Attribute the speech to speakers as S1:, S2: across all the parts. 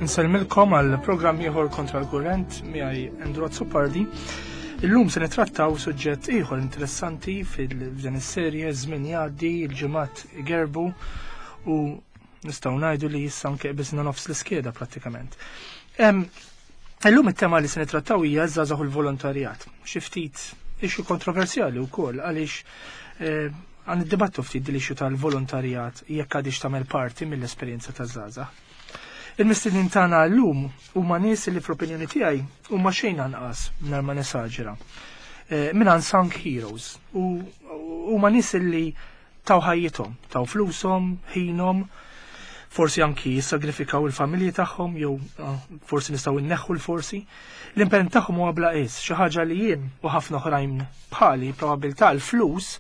S1: Nsellmilkom għal programm ieħor kontra l-kurrent miegħi Andrew Azzopardi. Illum se nitrattaw suġġett ieħor interessanti fil-dan is-serje żmien jgħaddi, il-ġimgħat gerbu u nistgħu ngħidu li issa anke qbiżna nofs l-iskeda prattikament. Illum it-tema li se nitrattaw hija żgħażagħ u l-volontarjat. Xi ftit issue kontroversjali wkoll għaliex eh, għan id-dibattu ftit din l-issue tal-volontarjat jekk għadix tagħmel parti mill-esperjenza taż-żgħażagħ. Il-mistednin tagħna llum huma nies li fl-opinjoni tiegħi huma xejn anqas mingħajr ma nesaġera. Eh, minn unsung heroes u huma nies li taw ħajjithom, taw flushom, ħinhom, forsi anki jissagrifikaw il-familji tagħhom jew ah, forsi nistgħu nneħħu l-forsi. L-impenn tagħhom huwa bla qies, xi ħaġa li jien u ħafna oħrajn bħali probabilità l-flus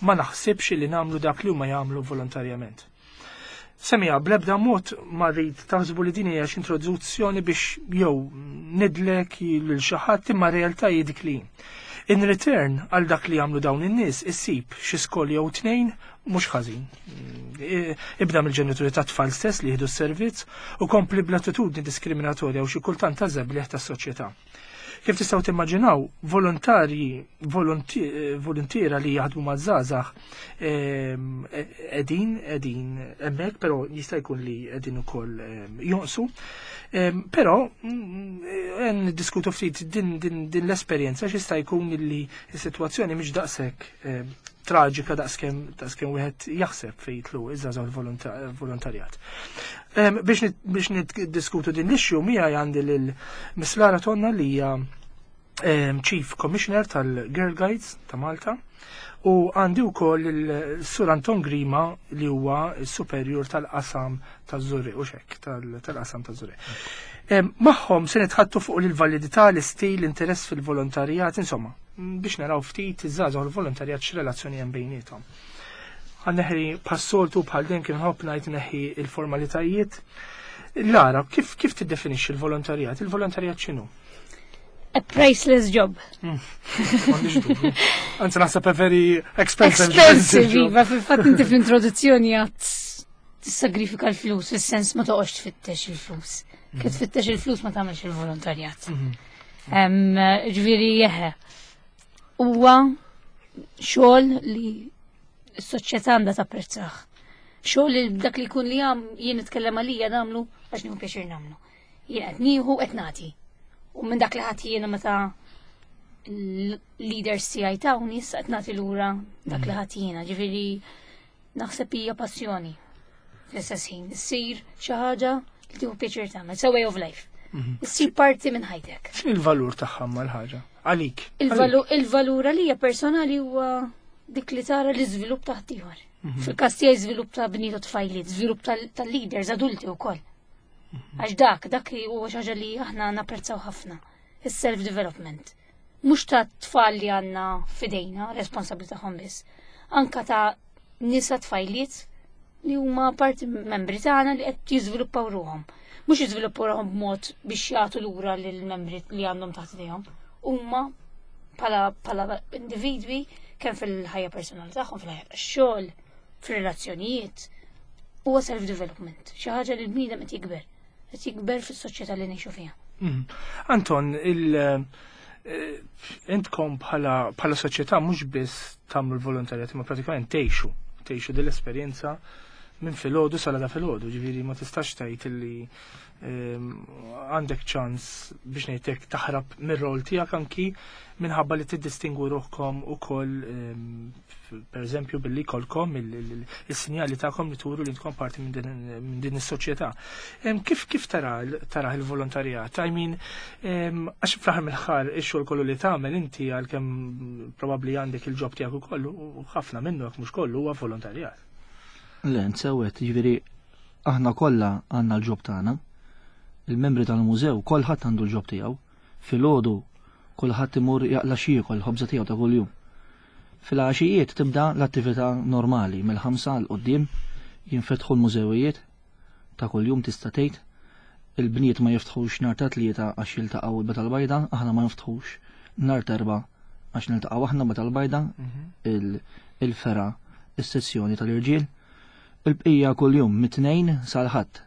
S1: ma naħsibx li nagħmlu dak li huma jagħmlu volontarjament. Semija, bl-ebda mod ma rrid taħsbu li din hija xi introduzzjoni biex jew nidlek lil xi ħadd imma realtà hi dik li. In return għal dak li jagħmlu dawn in-nies issib xi skol jew tnejn mhux ħażin. Ibda mill-ġenituri ta' tfal stess li jieħdu s-servizz u kompli bl-attitudni diskriminatorja u xi kultant ta' żebliħ tas-soċjetà. Kif tistgħu timmaġinaw, volontarji, voluntiera li jaħdmu ma' żgħażagħ ehm, qegħdin qegħdin hemmhekk, però jista' jkun li qegħdin ukoll ehm, jonqsu. Ehm, però mm, niddiskutu ftit din, din, din l-esperjenza x'jista' jkun li s-sitwazzjoni mhix daqshekk traġika daqskemm daqskemm wieħed jaħseb fejn jitlu iż-żgħażagħ volontarjat. Biex niddiskutu din l-issue miegħi għandi lil Miss Lara Tonna li hija Chief Commissioner tal-Girl Guides ta' Malta u għandi wkoll il-Sur Anton Grima li huwa s-superior tal-qasam taż-Żurrieq u xekk tal-qasam taż-Żurrieq. Magħhom se nitħattu fuq il-validità, l-istil, l-interess fil-volontarjat, insomma, biex naraw ftit iż-żgħażagħ u l-volontarjat x'relazzjoni hemm bejniethom. Għanneħri bħas-soltu bħal dejjem kien ħobb ngħid neħi il-formalitajiet. Lara, kif kif tiddefinixxi l-volontarjat? Il-volontarjat x'inhu?
S2: A priceless job.
S1: Hmm. Anzi naħseb a very expensive.
S2: Expensive, iva, fil-fatt inti fl-introduzzjoni għat tissagrifika l-flus, fis-sens ma toqgħodx tfittex il-flus. Kif mhm. tfittex il-flus ma tagħmelx il-volontarjat. Mhm. Ġifieri jeħe. Huwa xogħol li s-soċjetà għandha tapprezzah. Xogħol li dak li jkun li għam jien nitkellem għalija nagħmlu għax nieħu pjaċir nagħmlu. Jien qed nieħu qed nagħti. U minn dak li ħadd jiena meta l-leaders tiegħi tawni issa qed nagħti lura dak li mhm. ħadd jiena. Ġifieri Naħseb hija passjoni. Fl-istess ħin, issir xi ħaġa li tieħu pjaċir tagħmel, it's a way of life. Mhm. Issir parti minn ħajtek.
S1: X'in il-valur tagħha mal-ħaġa? Għalik.
S2: Il-valur għalija personali huwa dik li tara l-iżvilupp ta' ħaddieħor. Mhm. Fil-każ tiegħi żvilupp ta' bniet u tfajliet, żvilupp tal-leaders adulti wkoll. Mhm. Għax dak, dak li huwa xi ħaġa li aħna napprezzaw ħafna, is-self development. Mhux ta' tfal li għandna fidejna, responsabbli tagħhom biss. Anka ta' nisa tfajliet li huma parti membri tagħna li qed jiżviluppaw ruhom. Mhux jiżviluppaw ruhom b'mod biex jagħtu lura lill-membri li għandhom taħt idejhom. Huma bħala bħala individwi kemm fil-ħajja personali tagħhom, fil-ħajja tax-xogħol, fir-relazzjonijiet. Huwa self-development, xi ħaġa li l-bniedem qed jikber. qed jikber fis-soċjetà li ngħixu fiha.
S1: Mhm. Anton, il eh, intkom bħala bħala soċjetà mhux biss tagħmlu l-volontarjat imma pratikament tgħixu, tgħixu din l-esperjenza minn filgħodu sal għada filgħodu, ġifieri ma tistax tgħid illi ehm, għandek ċans biex ngħidlek taħrab mir-rol tiegħek anki minħabba li tiddistingwu ruħkom ukoll ehm, per eżempju billi kolkom il-sinjali tagħkom li turu li intkom parti minn din is-soċjetà. Kif kif tara tara il-volontarjat? I mean, għax fl-aħħar mill-aħħar ix-xogħol kollu li tagħmel inti għalkemm probabbli għandek il-ġob tiegħek ukoll u ħafna minnu jekk mhux kollu huwa volontarjat.
S3: Le, nsewwet, jiġifieri aħna kollha għandna l-ġob tagħna. Il-membri tal-mużew kolħadd għandu l-ġob tiegħu. Filgħodu kulħadd imur jaqla' x'jiekol ħobża tiegħu ta' kuljum. Filgħaxijiet tibda l-attività normali mill-ħamsa 'l quddiem jinfetħu l-mużewijiet ta' kuljum tista' tgħid. Il-bniet ma jiftħux nhar ta' Tlieta għax jiltaqgħu l-Beta l-Bajda, aħna ma niftħux nhar t'Erbgħa għax niltaqgħu aħna Beta l-Bajda, mhm. il-fergħa is-sezzjoni tal-irġiel. Il-bqija kuljum mit-Tnejn sal-Ħadd,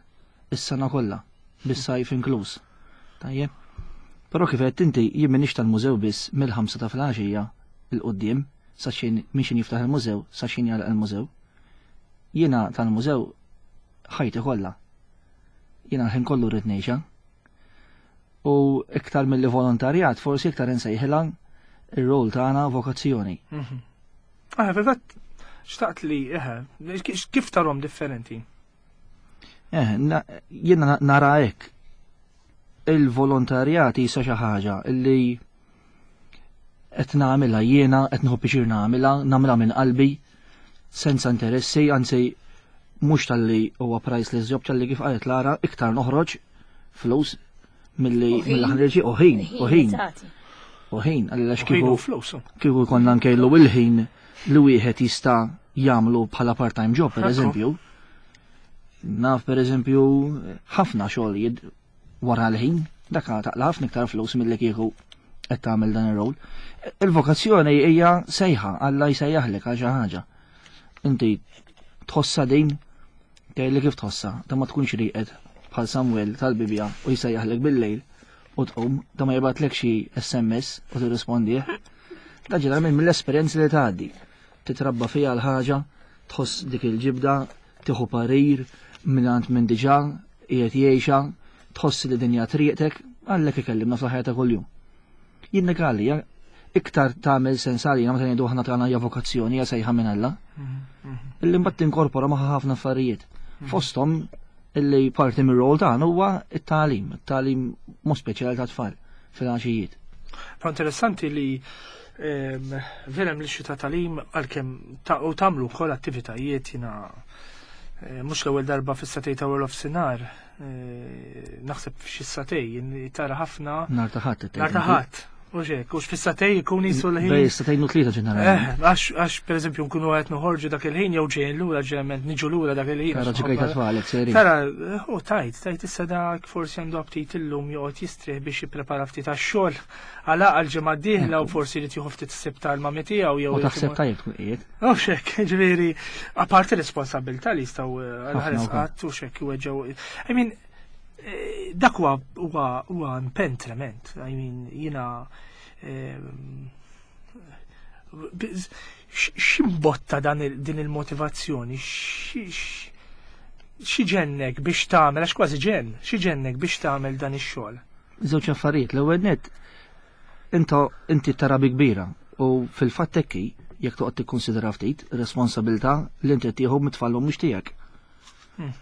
S3: is-sena kollha. Bis-sajf inkluż. Tajjeb. Però kif qed inti jien m'iniex tal-mużew biss mill-5 ta' filgħaxija 'l quddiem sa x'ħin minn x'ħin jiftaħ il-mużew sa x'ħin jagħlaq il-mużew. Jiena tal-mużew ħajti kollha. Jiena l-ħin kollu rrid ngħixha. U iktar milli volontarjat, forsi iktar insejħilha ir-rol tagħna vokazzjoni.
S1: Ah, fil-fatt, xtaqt li, eħe, kif tarhom differenti?
S3: Eh, jiena nara hekk. Il-volontarjat jisa xi ħaġa illi qed nagħmilha jiena, qed nieħu pixir nagħmilha, nagħmilha minn qalbi, senza interessi, anzi mhux talli huwa priceless job talli kif qalet Lara, iktar noħroġ flus milli mill-ħreġi u ħin, u ħin. U ħin, għalli kieku kieku konna nkejlu il-ħin li wieħed jista' jagħmlu bħala part-time job, per eżempju. Naf per eżempju ħafna xogħol wara l-ħin, dak taqla ħafna iktar flus milli kieku qed tagħmel dan ir-rol. Il-vokazzjoni hija sejħa, Alla jsejjaħlek għal xi ħaġa. Inti tħossha din, tgħidli kif tħossha, ta' ma tkunx rieqed bħal Samuel tal-Bibja u jsejjaħlek bil-lejl u tqum, ta' ma jibgħatlek xi SMS u tirrispondih. Da ġeneralment mill-esperjenzi li tgħaddi. Titrabba fiha l-ħaġa, tħoss dik il-ġibda, tieħu parir mingħand minn diġà qiegħed jgħixha, tħoss li dinja triqtek, għallek ikellimna fl-ħajja ta' kuljum. Jien għalija, iktar tagħmel sens għalina meta ngħidu aħna tagħna hija vokazzjoni hija sejħa minn Alla. Illi mbagħad tinkorpora magħha ħafna affarijiet. Fosthom illi parti mir-rol tagħna huwa t-tagħlim, it-tagħlim mod speċjali ta' tfal fil-għaxijiet.
S1: Però interessanti li vera hemm l-issue ta' tagħlim għalkemm u tagħmlu wkoll attivitajiet jiena eh, mhux l-ewwel darba fis-satej ta' World of Sinar, eh, naħseb f'xi satej tara ħafna.
S3: Nar ta' ħadd.
S1: Nar ta' ħadd. U xek, u fis-satej ikun jisu l-ħin.
S3: Bej, satej nu tlieta ġeneralment.
S1: Eh, għax per eżempju nkunu qed noħorġu dak il-ħin jew ġejjin lura ġeneralment niġu lura dak il-ħin.
S3: Tara ġikaj ta' tfalek, seri.
S1: Tara, u tajt, tajt issa dak forsi għandu aptit illum joqgħod jistrieħ biex jipprepara ftit għax-xogħol għala għal-ġimgħa d-dieħla u forsi jrid jieħu ftit ssib tal-mami tiegħu jew.
S3: U taħseb tajjeb tkun qiegħed.
S1: U xek, ġifieri, apparti responsabilità li jistgħu eh, għal-ħares qatt u xek jweġġew. I mean, eh, dak huwa huwa impenn trement. I mean, jiena ehm, x'imbotta dan din il-motivazzjoni, xi ġennek biex tagħmel, għax kważi ġenn, xi ġennek biex tagħmel dan ix-xogħol?
S3: Żewġ affarijiet, l-ewwel nett inta inti tara bi kbira u fil-fatt hekk hi, jekk toqgħod tikkunsidra ftit, responsabilità li inti tieħu mit-tfal mhux tiegħek. Hmm.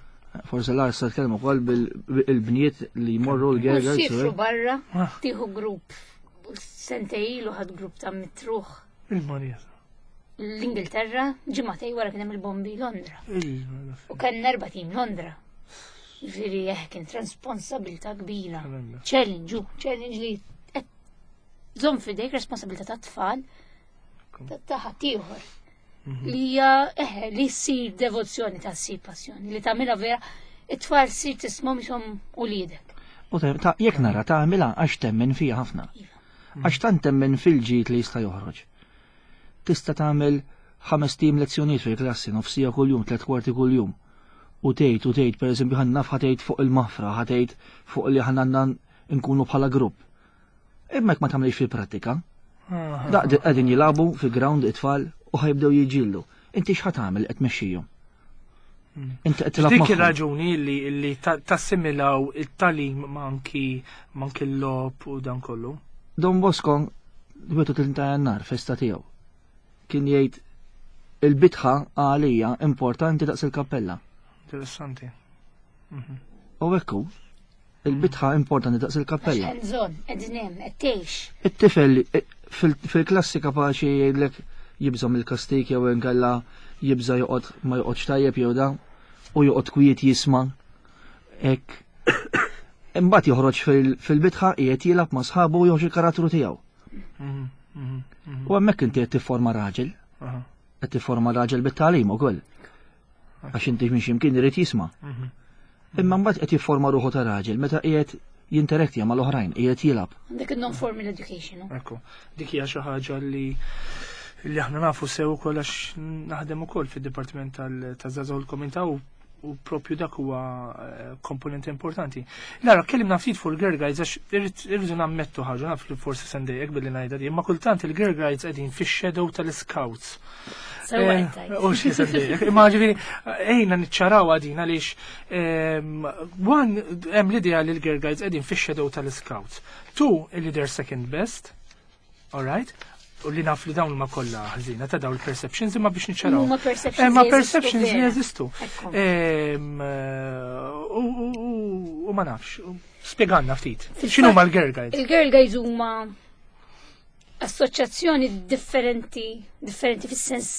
S3: Forse l sa tkellmu wkoll bil-bniet li jmorru l-gerger.
S2: Sifru barra, ah. tieħu grupp sentej ilu ħad grupp ta' mitruħ.
S1: Il-Marija.
S2: L-Ingilterra ġimgħatej wara kien hemm il-bombi Londra. U kien erba' tim Londra. Ġifieri eh kien responsabilità kbira. Challenge, challenge li żomm fidejk responsabilità ta' tfal ta' ħaddieħor. Mhm. Li hija eh, li ssir devozzjoni ta' ssir passjoni, li tagħmilha vera it-tfal ssir tismhom ishom uliedek.
S3: U ta' jekk nara tagħmilha għax temmen fija ħafna. Iva. Għax tant temmen fil-ġid li jista' joħroġ. Tista' tagħmel ħames tim lezzjonijiet fil-klassi, nofsija kuljum, tliet kwarti kuljum. U tgħid u tgħid, pereżempju ħa naf ħa tgħid fuq il-maħfra, ħa tgħid fuq li ħa għandna nkunu bħala grupp. Imma jekk ma tagħmilx fil-prattika, daqq qegħdin jilagħbu fil-ground it-tfal u ħajbdew jiġġieldu. Inti x'ħa tagħmel qed tmexxihom? Hmm.
S1: Inti qed tilgħab Dik ir-raġuni li li tassimilaw it-talim manki manki l-logħob u dan kollu.
S3: Don Bosco 31 ta' Jannar festa tiegħu kien jgħid il-bitħa għalija importanti daqs il-kappella.
S1: Interessanti.
S3: Mhm. U ekku, Il-bitħa importanti daqs il-kappella.
S2: Hands-on, qegħdin hemm, qed tgħix.
S3: It-tifel eh, fil-klassi kapaċi jgħidlek jibża' mill-kastik jew inkella jibża' joqgħod ma joqgħodx tajjeb jew da u joqgħod kwiet jisma' hekk. Imbagħad joħroġ fil-bitħa qiegħed jilgħab ma' sħabu u joħroġ il-karattru tiegħu. Mhm, mhm, mhm. U hemmhekk inti qed tifforma raġel. Qed tifforma raġel bit-tagħlim ukoll. Għax inti minn x'imkien irid jisma'. Mhm. Imma mbagħad qed jifforma ruħu ta' raġel meta qiegħed jinterektja mal-oħrajn, qiegħed jilgħab.
S2: Dik il-non-formal education.
S1: Ekku, dik hija xi ħaġa li li aħna nafu sew ukoll għax naħdem ukoll fid-dipartiment tal-żgħażagħ l-komunità u U propju dak huwa eh, komponent importanti. Lara, kellimna ftit fuq il-Girl Guides għax irridu nammettu ħaġa naf li forsi sendejjek billi ngħidha di, imma kultant il-Girl Guides qegħdin fix-shadow tal-Scouts.
S2: Eh,
S1: u xi sendejjek. Imma ġifieri ejna niċċaraw għadin għaliex ehm, one hemm l-idea li l-Girl Guides qegħdin fix-shadow tal-Scouts. Two, li they're second best. All right? U li naf li dawn ma kollha ħżina ta' dawn il-perceptions imma biex niċċaraw.
S2: Huma perceptions.
S1: Eh, ma perceptions li jeżistu. Ehm, eh, u ma nafx. Spjegalna ftit. X'inhu ma l-Girl Guides?
S2: Il-Girl Guides huma assoċjazzjoni differenti, differenti fis-sens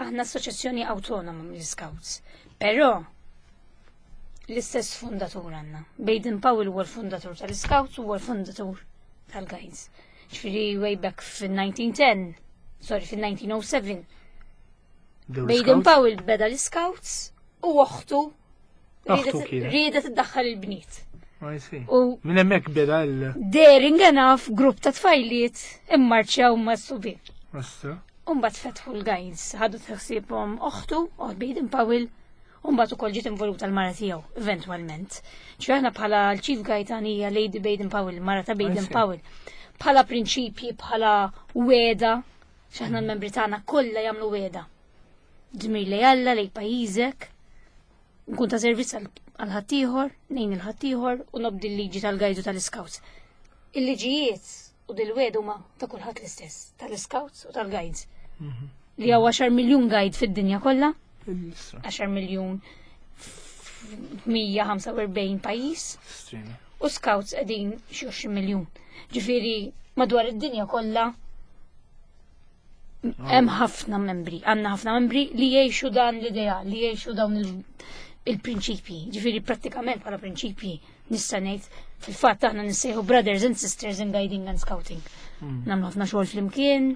S2: aħna assoċjazzjoni autonoma mill-Scouts. Però l-istess fundatur għandna. Baden Powell huwa l-fundatur tal-Scouts huwa l-fundatur tal-Guides. Ġifieri way back fin-1910, sorry fin-1907. Baden Powell beda l-Scouts u oħtu riedet iddaħħal il-bniet.
S1: U minn hemmhekk beda l
S2: Daring enough grupp ta' tfajliet immarċjaw ma' subien. Umbat fetħu l-guides, ħadu tħsibhom oħtu, oħt Baden Powell, U mbagħad ukoll ġiet involuta l-mara tiegħu eventwalment. Ġifieri aħna bħala l-Chief Guide hija Lady Baden Powell, mara ta' Baden Powell. Bħala prinċipji, bħala weda, x'aħna l-membri tagħna kollha jagħmlu weda. Dmir li Alla lej pajjiżek, nkun ta' servizz għal ħaddieħor, nejn il-ħaddieħor u nobdi l-liġi tal-gajdu tal-iskawts. Il-liġijiet u dil-wed huma ta' kulħadd l-istess, tal-iskawts u tal-guides. Mhm. Li hawn 10 miljun guide fid-dinja kollha, 10 miljun 145 pajjiż. U scouts qegħdin xi 20 miljun. Ġifieri madwar id-dinja kollha hemm ħafna membri, għandna ħafna membri li jgħixu dan l-idea, li jgħixu dawn il-prinċipji. Ġifieri prattikament bħala prinċipji nista' ngħid fil-fatt aħna nissejħu brothers and sisters in guiding and scouting. Hmm. Nagħmlu ħafna xogħol flimkien,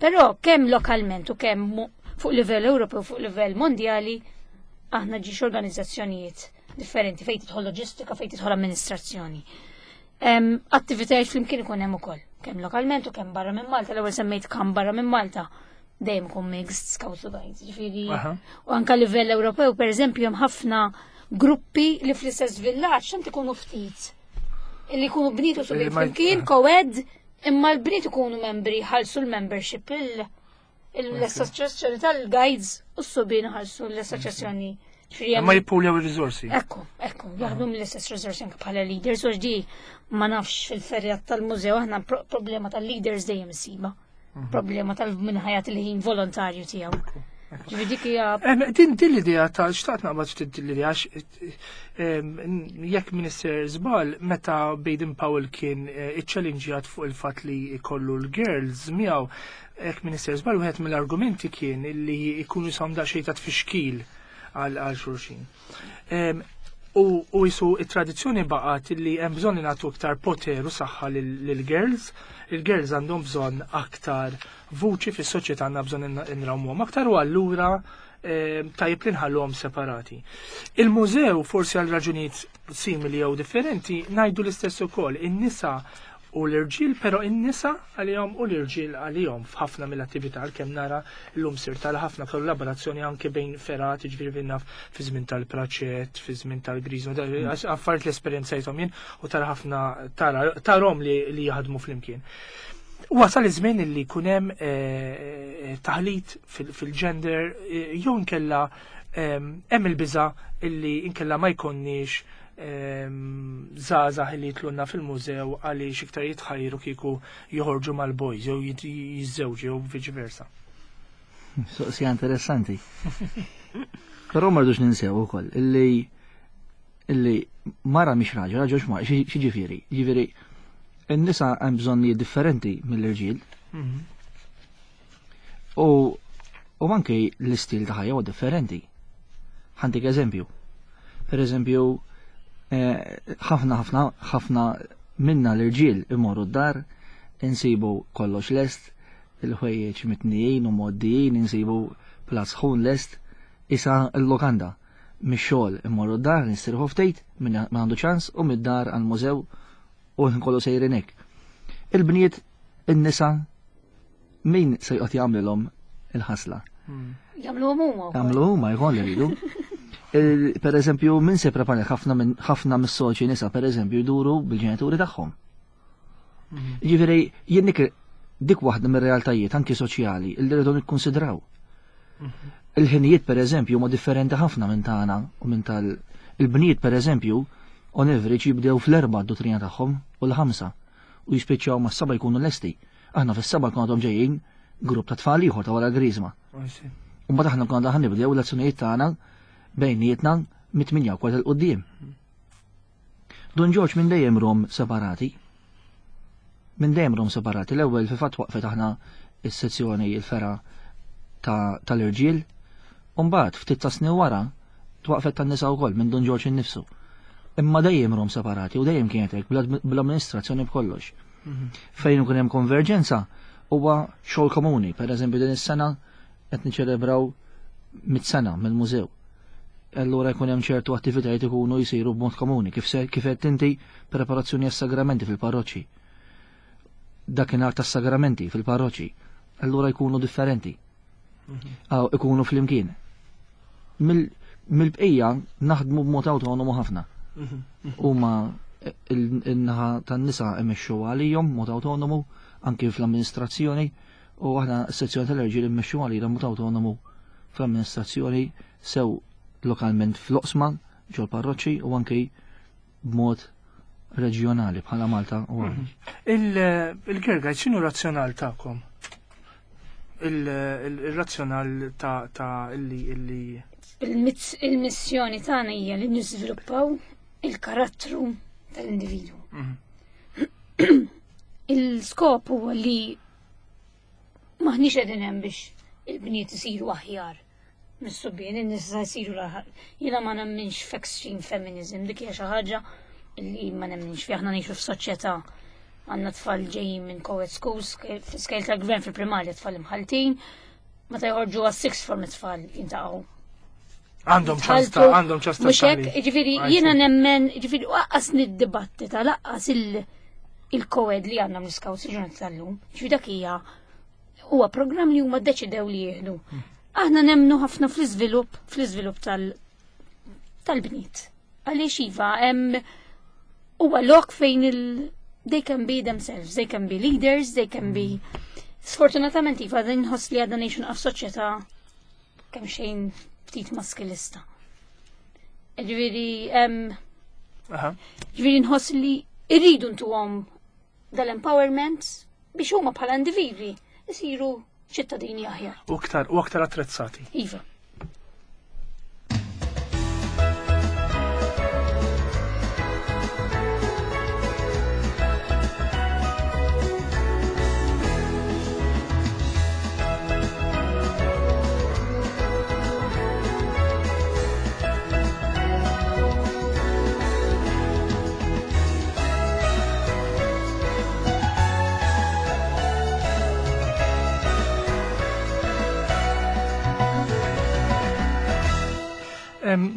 S2: però kemm lokalment u kemm fuq livell Ewropew fuq livell mondjali aħna ġiex organizzazzjonijiet differenti fejn tidħol loġistika, fejn tidħol amministrazzjoni. Attivitajiet flimkien ikun hemm ukoll, kemm lokalment u kemm barra minn Malta, l-ewwel semmejt kemm barra minn Malta dejjem ikun mixed scouts u guides, ġifieri. U anka livell Ewropew, pereżempju, hemm ħafna gruppi li fl-istess villaġġ tant ikunu ftit. Li jkunu bniet u subien flimkien, co-ed, imma l-bniet ikunu membri ħalsu l-membership l-assoċjazzjoni tal-guides u s-subien ħalsu l-assoċjazzjoni.
S1: Ma jippuljaw il-rizorsi.
S2: Ekku, ekku, jaħdmu mill-istess rizorsi anke bħala leaders, u ġdi ma nafx fil-ferjat tal-mużew aħna problema tal-leaders dejjem isiba. Mhm. Problema tal-minħajat il-ħin volontarju tiegħu. Ġifieri dik hija.
S1: Din din l-idea ta' xtaqt naqbad ftit din l-idea għax jekk Minister żball meta Baden Powell kien eh, iċċellinġjat fuq il-fatt li jkollu l-girls miegħu Hekk Minister żball wieħed mill-argumenti kien li jkunu jisom daqsxejn ta' tfixkil għal xulxin. U jisu it-tradizzjoni baqgħet li hemm bżonn li nagħtu aktar poter u saħħa lill-girls. Il-girls għandhom bżonn aktar vuċi fis-soċjetà għandna bżonn inrawmuhom aktar u allura tajjeb li nħalluhom separati. Il-mużew forsi għal raġunijiet simili jew differenti ngħidu l-istess ukoll. In-nisa u l-irġiel, però in-nisa għalihom u l-irġiel għalihom f'ħafna mill-attività għalkemm nara llum sir tara ħafna kollaborazzjoni anke bejn fergħat, jiġifieri naf fi żmien tal-praċett, fi żmien tal-griżma, affarijiet li esperjenzajthom jien u tara ħafna tarahom li jaħdmu flimkien. Wasal iż-żmien li jkun hemm eh, eh, taħlit fil-gender eh, jew inkella hemm il-biża illi inkella ma jkonniex żgħażagħ li jitlunna fil-mużew għaliex iktar jitħajru kieku joħorġu mal-boys jew jiżżewġu jew viċi versa.
S3: Soqsija interessanti. Però ma rridux ninsew ukoll illi illi mara mhix raġel, raġel x'ma xi ġifieri. Ġifieri in-nisa hemm bżonnijiet differenti mill-irġiel. Mhm. U u anke l-istil ta' ħajja huwa differenti. Ħantik eżempju. Per eżempju, eh, ħafna ħafna ħafna minna l-irġiel imorru d-dar, insibu kollox lest, il-ħwejjeġ mitnijin u moddijin, insibu platt sħun lest, isa l-lokanda. Mix-xogħol immorru d-dar, nistrieħu ftit, min għandu ċans, u mid-dar għall-mużew u kollu sejrin hekk. Il-bniet, in-nisa, min se joqgħod jagħmlilhom il-ħasla?
S2: Hmm. Jagħmluhom huma.
S3: Jagħmlu huma jkun li jridu. Per eżempju, min se prepara ħafna minn ħafna mis-soċi nisa per eżempju jduru bil-ġenituri tagħhom. Mhm. Ġifieri jien dik waħda mir-realtajiet anki soċjali li rridu nikkonsidraw. Mhm. Il-ħinijiet per eżempju huma differenti ħafna minn tagħna u minn tal il-bniet per eżempju on average jibdew fl-erba' d-dottrina tagħhom u l-ħamsa u jispiċċaw mas-saba jkunu lesti. Aħna fis-saba nkunu għadhom ġejjin grupp ta' tfal ieħor ta' wara l-griżma. U mbagħad aħna nkunu għadha nibdew l-azzjonijiet tagħna bejnietna mit-8 kwart il-qudiem. Dun Ġorġ minn dejjem rom separati. Minn dejjem rom separati. L-ewwel fil-fatt waqfet aħna is-sezzjoni il-fera tal-irġiel. U mbagħad ftit ta' snin wara twaqfet tan-nisa wkoll minn Dun Ġorġ innifsu. Imma dejjem rom separati u dejjem kienet hekk bl-amministrazzjoni b'kollox. Mhm. Fejn ikun hemm konverġenza huwa xogħol komuni. Per eżempju din is-sena qed niċċelebraw mit-sena mill-mużew. Allura jkun hemm ċertu attivitajiet ikunu jsiru b'mod komuni, kif se kif qed inti preparazzjoni għas-sagramenti fil-parroċċi. Dakinhar tas-sagramenti fil-parroċċi. Allura jkunu differenti. Mhm. Ikunu flimkien. Mill-bqija naħdmu b'mod awtonomu ħafna. Mhm. Huma il-naħa tan-nisa imexxu għalihom mod awtonomu anki fl-amministrazzjoni u aħna s-sezzjoni tal-irġiel immexxu għalina mod awtonomu fl-amministrazzjoni sew lokalment fl-oqsma ġol parroċċi u anki b'mod reġjonali bħala Malta u mhm.
S1: Il-Girgaj, x'inhu razzjonal tagħkom? Il-razzjonal ta' illi illi
S2: Il-missjoni tagħna hija li niżviluppaw il-karattru tal-individwu. Mhm. Il-skop huwa li maħniex qegħdin hemm biex il-bniet isiru aħjar mis-subien, in-nisa jsiru l-aħjar. Jiena ma nemminx f'extreme feminism, dik hija xi ħaġa li ma nemminx fi aħna ngħixu f'soċjetà għandna tfal ġejjin minn co-ed schools, skejl tal-gvern fil-primarja tfal imħaltin, meta joħorġu għas-sixth form it-tfal jintaqgħu
S1: Għandhom ċans ta' għandhom ċans ta'
S2: Mhux hekk, jiġifieri jiena nemmen, jiġifieri waqqas nid-dibattita laqqas il-koed li għandna mill-scouts il-ġurnata tal-lum. Jiġifieri dak hija huwa programm li huma ddeċidew li jieħdu. Hmm. Aħna nemnu ħafna fl-iżvilupp, fl-iżvilupp tal-bniet. Għaliex iva, hemm huwa lok fejn il they can be themselves, they can be leaders, they can be hmm. Sfortunatament iva, nħoss li għadna ngħixu naqaf soċjetà kemm xejn ftit maskilista. Ġifieri ġifieri nħoss li irridu ntuhom dal-empowerment biex huma bħala individwi isiru ċittadini aħjar.
S1: U aktar u aktar attrezzati.
S2: Iva.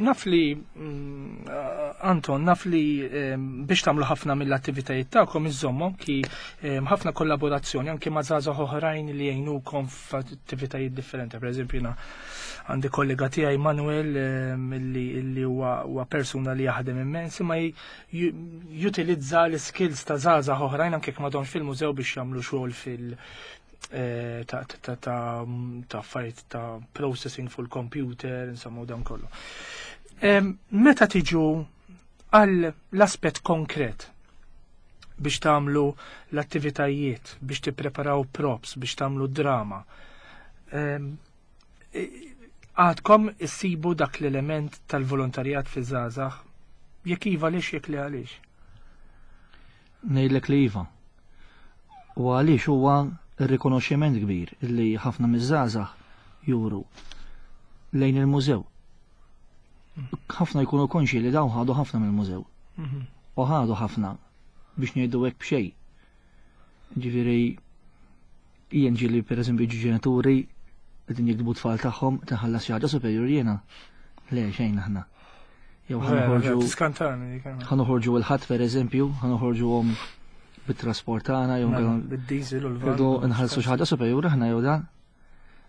S1: Naf li Anton, naf li biex tagħmlu ħafna mill-attivitajiet tagħkom iżommu ki ħafna kollaborazzjoni anke ma' żgħażagħ oħrajn li jgħinukom f'attivitajiet differenti. Per eżempju, jiena għandi kollega tiegħi Manuel li huwa persuna li jaħdem immens imma jutilizza l-skills ta' żgħażagħ oħrajn anke jekk m'għadhomx fil-mużew biex jagħmlu xogħol fil- eh, ta' ta' affarijiet ta' processing fuq il-computer, insomma, u dan kollu. Meta tiġu għal l-aspett konkret biex tagħmlu l-attivitajiet, biex tippreparaw props, biex tagħmlu drama. Għadkom issibu dak l-element tal-volontarjat fi żgħażagħ? Jekk iva għaliex jekk le għaliex?
S3: Ngħidlek li iva. U għaliex huwa r-rikonoxximent kbir li ħafna miż-żgħażagħ juru lejn il-mużew. Ħafna jkunu konxi li dawn ħadu ħafna mill-mużew. Mhm. U ħadu ħafna biex ngħidu hekk b'xejn. Ġifieri jien ġieli pereżempju ġi ġenituri qegħdin jiktbu tfal tagħhom tinħallas xi ħaġa superjur jiena. Le xejn aħna. Jew ħanoħorġu. Ħanoħorġu l-ħadd pereżempju, ħanoħorġuhom bit-trasport tagħna jew mela,
S1: bid-diesel u l-van.
S3: Nħallsu xi ħaġa superjur aħna jew dan.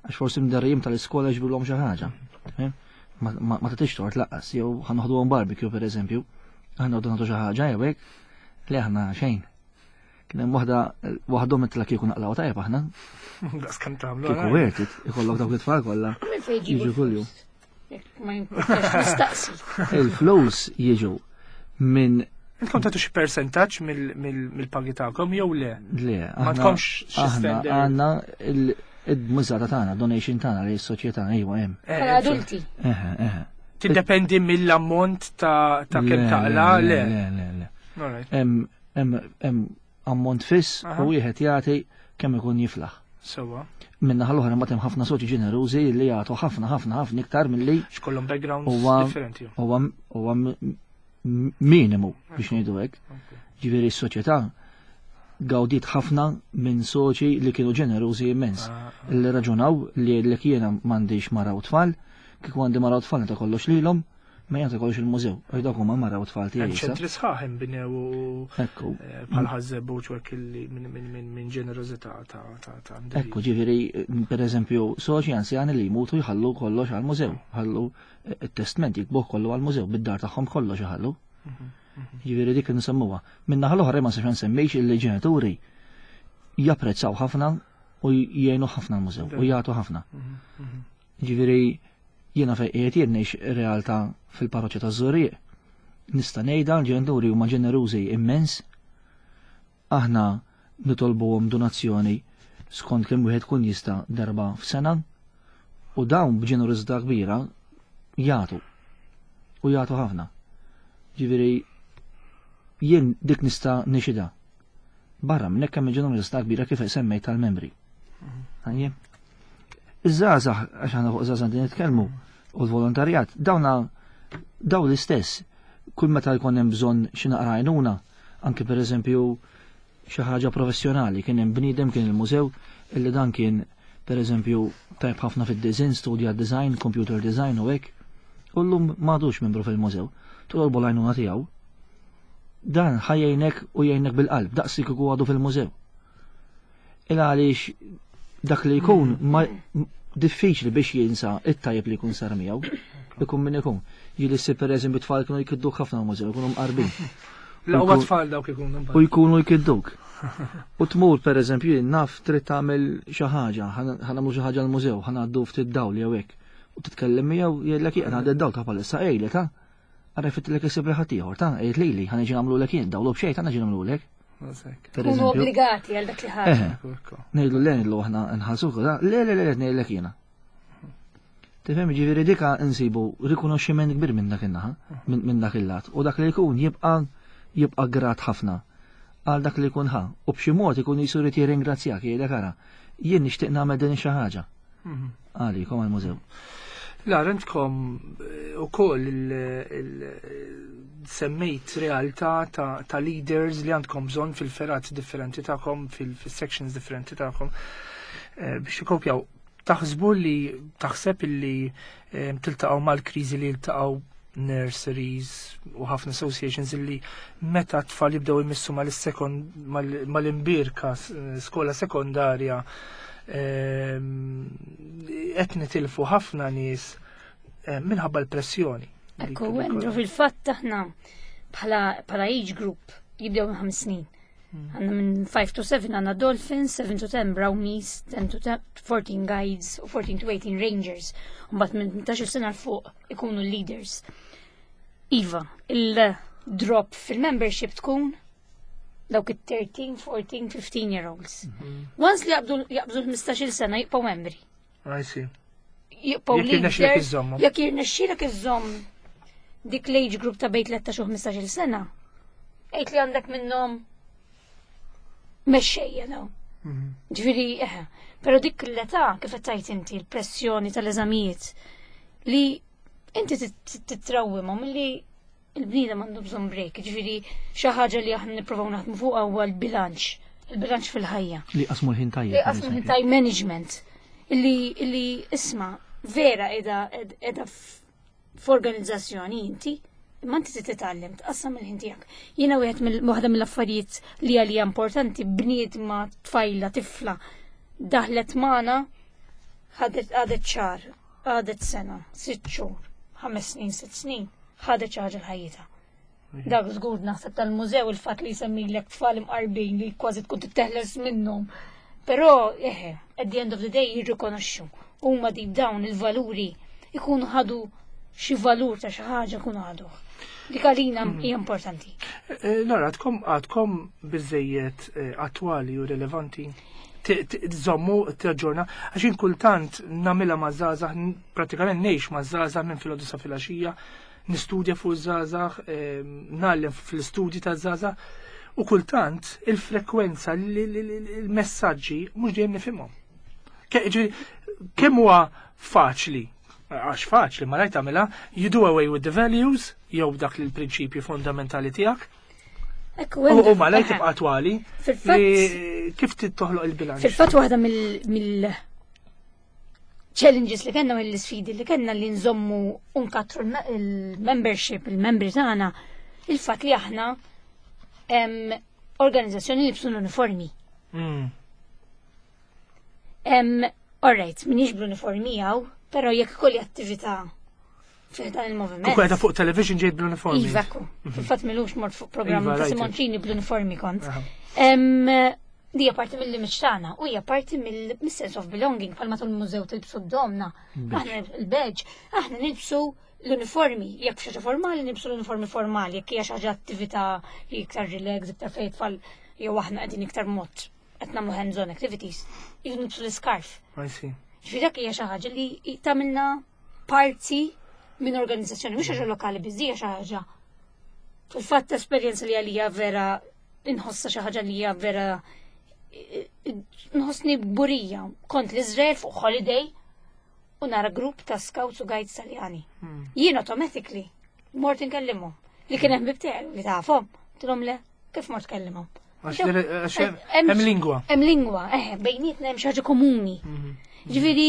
S3: Għax forsi mdarrijim tal-iskola jġbirlhom xi ħaġa. Ma tagħtix tort laqqas, jew ħa noħduhom barbecue pereżempju, aħna noqogħdu nagħtu xi ħaġa jew hekk, li aħna xejn. Kien hemm waħda waħdhom itla kieku naqlaw tajjeb aħna.
S1: Daqs kemm tagħmlu.
S3: Kieku worth it, ikollok dawk it-tfal kollha. Jiġu kuljum. Il-flus jiġu minn
S1: Intom tagħtu xi persentaġġ mill-pagi tagħkom jew le?
S3: Le,
S1: ma tkomx xi
S3: standard. Għandna il-mużata tagħna, donation tagħna li s-soċjetà ejwa hemm.
S2: Eh, Bħala adulti.
S3: Eħe, eħe.
S1: Tiddependi mill-ammont ta' kemm taqla, le.
S3: Le, le, le. Hemm ammont fiss u wieħed jagħti kemm ikun jiflaħ.
S1: Sewa.
S3: Minna ħal-oħra mbagħad hemm ħafna soċi ġenerużi li jagħtu ħafna ħafna ħafna iktar milli
S1: x'kollhom backgrounds differenti.
S3: Huwa minimu biex ngħidu hekk. Ġifieri s-soċjetà gawdiet ħafna minn soċi li kienu ġenerużi immens. Ah, ah. Li raġunaw li l jiena m'għandix mara u tfal, kieku għandi mara u tfal ta' kollox lilhom, ma jagħti kollox il-mużew, għax dawk huma mara u tfal tiegħi.
S1: Ċentri sħaħ inbnew Ekku. Eh, bħal ħażebu ċwek minn ġenerożità ta' ta'
S3: Ekku, ġifieri pereżempju soċi anzjani li jmutu jħallu kollox għall-mużew, ħallu eh, it-testment jikbuh kollu għall-mużew, bid-dar tagħhom kollox iħallu. Mhm, mhm. Ġifieri dik nsemmuha. Minna ħal-oħra ma sax nsemmix illi ġenituri japprezzaw ħafna u jgħinu ħafna l-mużew u jagħtu ħafna. Mhm, Ġifieri jiena fejn qiegħed jien ngħix realtà fil-parroċċa taż-Żurrieq. Nista' ngħidha l-ġenituri huma ġenerużi immens. Aħna nitolbuhom donazzjoni skont kemm wieħed kun jista' darba f'sena u dawn b'ġenerożità kbira jagħtu u jagħtu ħafna. Ġifieri jien dik nista' nixida. Barra minn hekk hemm il-ġenerożità kbira kif semmejt tal-membri. Għajjem. Iż-żgħażagħ, għax aħna fuq żgħażagħ din nitkellmu, u l-volontarjat, dawna daw l-istess, kull meta jkun hemm bżonn xi naqra għajnuna, anke pereżempju xi ħaġa professjonali, kien hemm bniedem kien il-mużew illi dan kien pereżempju tajb ħafna fid-design, studja design, computer design u hekk, u llum m'għadux membru fil-mużew. Tolbu l-għajnuna tiegħu. Dan ħajjejnek u jgħinek bil-qalb, daqs li kieku għadu fil-mużew. Il għaliex dak li jkun ma diffiċli biex jinsa it-tajjeb li jkun sar miegħu. Ikun min ikun. Jili si per eżempju tfal kienu jkidduk ħafna mużew, jkunu mqarbin.
S1: L-aqwa tfal dawk ikunu.
S3: U jkunu jkidduk. U tmur per eżempju naf trid tagħmel xi ħaġa, ħanagħmlu xi ħaġa l-mużew, ħangħaddu ftit dawl jew hekk. U titkellem miegħu jgħidlek jien għadha d-dawl ta' palissa ejlek ha. Ara fittilek isib li ħaddieħor ta' għid lili ħa niġi nagħmlulek jien dawlu b'xejn ta' niġi nagħmlulek.
S2: Kunu obbligati għal dak li ħaġa.
S3: Ngħidu le ngħidu aħna nħallsuk, le le le ngħidlek jiena. Tifhem ġifieri dika nsibu rikonoxximent kbir minn dak in-naħa, minn dak il-lat, u dak li jkun jibqa' jibqa' grat ħafna għal dak li jkun ħa u b'xi mod ikun jisu jrid jirringrazzjak jgħidlek ara, jien nixtieq nagħmel din xi ħaġa. Mhm. Għalikom għal-mużew.
S1: La, eh, u koll semmejt realtà ta', ta leaders li għandkom bżonn fil-ferat differenti tagħkom, fil-sections differenti tagħkom eh, biex ikopjaw. Taħsbu li taħseb li eh, tiltaqgħu mal-kriżi li ltaqgħu nurseries u ħafna associations illi meta tfal jibdew imissu mal-sekond mal-imbirka skola sekondarja ehm, qed nitilfu ħafna nies eh, minħabba l-pressjoni.
S2: Ekku, Andrew, fil-fatt aħna bħala age group jibdew minn ħames snin. Hmm. Għanna minn 5 to 7 għanna Dolphins, 7 to 10 Brownies, 10 to 14 Guides u 14 to 18 Rangers. Mbagħad minn 18 sena l fuq ikunu leaders. Iva, il-drop fil-membership tkun dawk it-13, 14, 15 year olds. Mhm. Once li jaqbdu l-15 sena jibqgħu membri.
S1: I see.
S2: Jibqgħu leaders. Jekk jirnexxielek iżomm dik l-age group ta' bejn 13 u 15 sena, għid li għandek minnhom mexxejja daw. Mhm. Ġifieri, eħe, però dik l-età kif qed tgħid inti l-pressjoni tal-eżamijiet li inti titrawwimhom li il-bniedem għandu bżonn break, ġifieri xi ħaġa li aħna nippruvaw naħdmu fuqha huwa l-bilanċ, il-bilanċ fil-ħajja.
S3: Li qasmu l-ħin tajjeb.
S2: Li qasmu l-ħin tajjeb management. Illi illi isma' vera qiegħda qiegħda f'organizzazzjoni inti, imma inti trid titgħallem tqassam il-ħin tiegħek. Jiena wieħed mill waħda mill-affarijiet li għalija importanti bniedma tfajla tifla daħlet magħna ħadet għadet xahar, għadet sena, sitt xhur. 5 snin, 6 snin, ħadet xi ħaġa l-ħajjita. Dak żgur naħseb tal-mużew il-fatt li jsemmilek tfal imqarbin li kważi tkun titteħles minnhom. Però, eħe, at the end of the day jirrikonoxxu. Huma deep down il-valuri ikunu ħadu xi valur ta' xi ħaġa ikunu ħaduh. Dik għalina hija importanti.
S1: Laura, għadkom biżejjed attwali u relevanti? Tżommu, taġġorna, għax jien kultant nagħmilha ma' żgħażagħ, pratikament ngħix ma' żgħażagħ minn filgħodu sa filgħaxija, nistudja fuq żgħażagħ, ngħallem fl-istudji ta' żgħażagħ, u kultant il-frekwenza, il-messaġġi mhux dejjem nifhimhom. Ġifieri, kemm huwa faċli, għax faċli, ma rajt tagħmilha, you do away with the values, jew dak l-prinċipji fondamentali tiegħek,
S2: Ekku,
S1: u malajr tibqa' attwali,
S2: Fil-fatt
S1: li kif toħloq il-bilanċ.
S2: Fil-fatt waħda mill challenges li kellna, mill-sfidi li kellna li nżommu u nkattru il-membership, il-membri tagħna, il-fatt li aħna organizzazzjoni li l-uniformi. Alright, minix bl-uniformi għaw, pero jekk kolli attività fi dan il-moviment.
S1: U kweda fuq television ġejt bl-uniformi.
S2: Iva, ekku. Fil-fatt m'ilux mort fuq programm
S1: Iva,
S2: ta'
S1: rajtek.
S2: Simoncini bl-uniformi kont. Dija parti mill-image tagħna u hija parti mill-sense of belonging, bħalma tul mużew tilbsu d-domna. Aħna il-badge, aħna nilbsu l-uniformi, jekk xi ħaġa formali nilbsu l-uniformi formali, jekk hija xi ħaġa attività li iktar relax, iktar fejn tfal jew aħna qegħdin iktar mod qed nagħmlu hands-on activities, jew nilbsu l-iscarf.
S1: I see.
S2: Ġifieri dak hija xi ħaġa li tagħmilna parti minn organizzazzjoni, mhux ħaġa lokali biss, hija xi ħaġa. Fil-fatt esperjenza li għalija vera inħossa xi ħaġa li hija vera nħossni kburija. Kont l-Izrael fuq holiday u nara grupp ta' scouts u guides Taljani. Jien automatically mort inkellimhom. Li kien hemm bibteħ li tafhom. Tilhom le, kif mort kellimhom?
S1: Għax hemm lingwa.
S2: Hemm lingwa, eh, bejnietna hemm xi ħaġa komuni. Ġifieri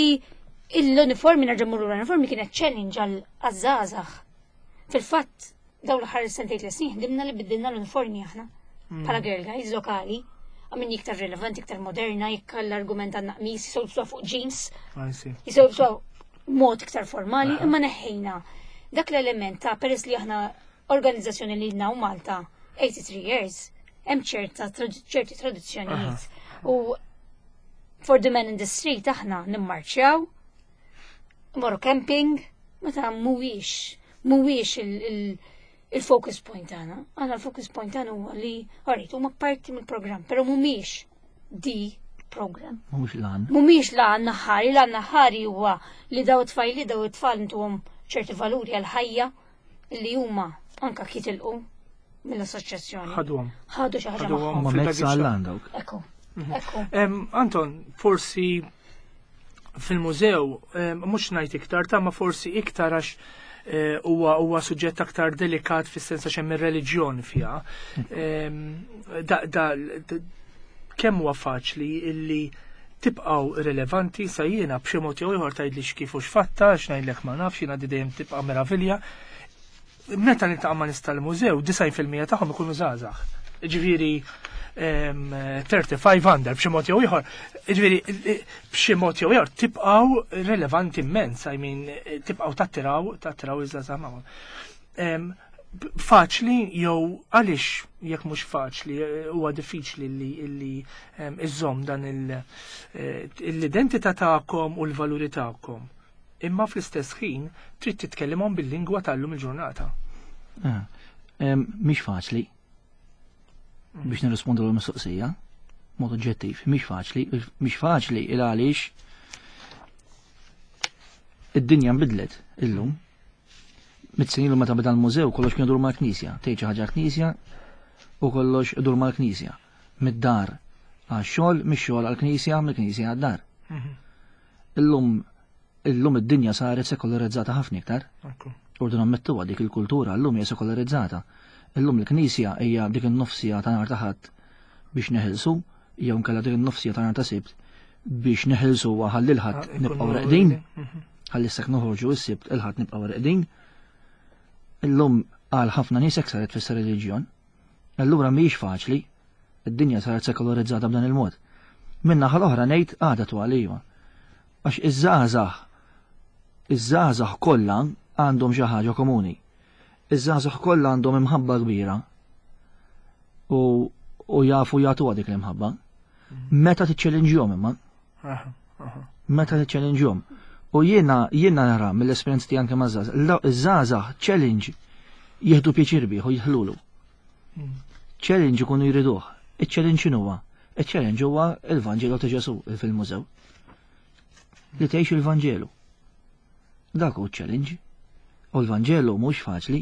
S2: l-uniformi, nerġa' mmur l-uniformi, kienet challenge għal żgħażagħ. Fil-fatt dawn l-aħħar sentejn 3 snin ħdimna li biddilna l-uniformi aħna bħala girl guides lokali. Għamilna iktar relevanti, iktar moderna, jekk l-argument għandna qmis, jistgħu jilbsuha fuq jeans,
S1: I see.
S2: jistgħu jilbsuha mod iktar formali, imma neħħejna dak l-element ta' peress li aħna organizzazzjoni li ilna Malta 83 years, hemm ċerti tradizzjonijiet. U for the man in the street aħna nimmarċjaw, morru camping, meta mhuwiex il-focus point tagħna. Aħna l-focus point tagħna huwa li alright, huma parti mill-programm, però mhumiex the program.
S3: Mhux lan.
S2: Mhumiex l-għan aħħari, l-għan aħħari huwa li daw it-tfajli, daw it-tfal ntuhom ċerti valuri għal-ħajja li huma anka jitilqu mill-assoċjazzjoni.
S1: Ħaduhom.
S2: Ħadu xi ħaġa
S1: Ħaduhom.
S2: magħhom.
S3: Ma
S1: Fil-baggage
S3: mezz għall dawk.
S2: Ekku. Ekku.
S1: Anton, forsi fil-mużew, mhux ngħid iktar ta' ma forsi iktar għax huwa suġġett aktar delikat fis-sens għax hemm ir-reliġjon fiha. Da, kemm huwa faċli illi tibqgħu relevanti sa jiena b'xi mod jew ieħor tgħidli x'kif u x'fatta, x'ngħidlek ma nafx, jiena di dejjem tibqa' meravilja. Meta niltaqa' ma' nies tal-mużew, 90% tagħhom ikunu żgħażagħ. Ġifieri 35 under b'xi mod jew ieħor. Ġifieri b'xi mod jew ieħor tibqgħu relevanti immens, I mean tibqgħu tattiraw iż-żgħażagħ magħhom. Faċli jew għaliex jekk mhux faċli huwa diffiċli li iżżomm dan l-identità tagħkom u l-valuri tagħkom. Imma fl-istess ħin trid titkellimhom bil-lingwa tal-lum il-ġurnata.
S3: Ah, mhix faċli biex nirrispondu l-mistoqsija, mod oġġettiv, mhix faċli, mhix faċli il għaliex id-dinja nbidlet illum. 100 snin ilu meta beda l-mużew kollox kien idur mal-knisja, tgħid xi ħaġa knisja u kollox idur mal-knisja. Mid-dar għax-xogħol, mix-xogħol għall-knisja, mill-knisja għad-dar. Illum id-dinja saret sekolarizzata ħafna iktar. Urdu nammettuha dik il-kultura llum hija sekolarizzata. Illum il-Knisja hija dik in-nofsija ta' nhar ta' Ħadd biex neħilsu, jew nkella dik in-nofsija ta' nhar ta' Sibt biex neħilsu ħalli l-Ħadd nibqgħu reqdin. Ħalli issa noħorġu s-Sibt, il-Ħadd nibqgħu reqdin. Illum għal ħafna nies hekk saret tfisser reliġjon. Allura mhijiex faċli, id-dinja saret sekolarizzata b'dan il-mod. Min-naħa l-oħra ngħid għadha twal, iva. Għax iż-żgħażagħ kollha għandhom xi ħaġa komuni. Iż-żgħażagħ kollha għandhom imħabba kbira u, u jafu jagħtuha dik l-imħabba. Meta tiċċellinġjhom imma. Meta tiċċellinġjhom. U jiena jiena nara mill-esperjenza tiegħi anke maż-żgħażagħ, iż-żgħażagħ challenge jieħdu pjaċir bih u jidħlulu. Challenge ikunu jriduh. Iċ-challenge x'inhuwa? Iċ-challenge huwa il-Vanġelu ta' Ġesù fil-mużew. Li tgħix il-Vanġelu. Dak hu challenge. U l-Vanġelu mhux faċli.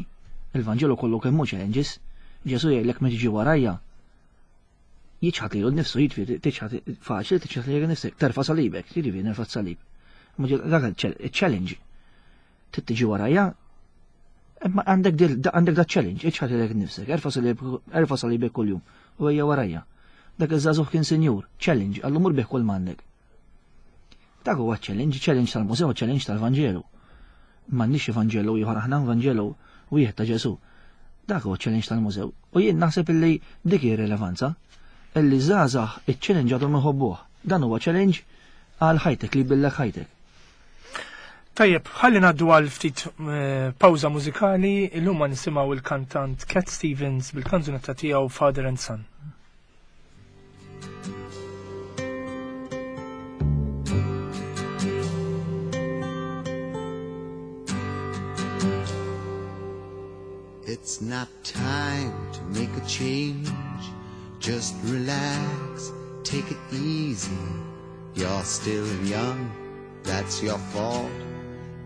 S3: Il-Vanġelu kollu kemm hu challenges. Ġesù jgħidlek meta tiġi warajja. Jiċħad lilu nnifsu, jiġifieri tiċħad faċli tiċħad lilek innifsek, terfa' salibek, jiġifieri nerfa' salib. Dak il-challenge. Trid tiġi warajja, imma għandek għandek da challenge, iċħad lilek innifsek, erfa' salibek kuljum u ejja warajja. Dak iż-żagħżugħ kien sinjur, challenge, għallu mur bih kull m'għandek. Dak huwa challenge, challenge tal-mużew, challenge tal-Vanġelu. M'għandniex Vanġelu ieħor aħna, Vanġelu wieħed ta' Ġesù. Dak huwa challenge tal-mużew. U jien naħseb illi dik hi rilevanza illi żgħażagħ iċ-challenge għadhom iħobbuh. Dan huwa challenge għal ħajtek li jbillek ħajtek.
S1: Tajjeb, ħalli ngħaddu għal ftit eh, pawża mużikali, illum ma nisimgħu il-kantant Cat Stevens bil-kanzunetta tiegħu Father and Son.
S4: It's not time to make a change. Just relax, take it easy. You're still young, that's your fault.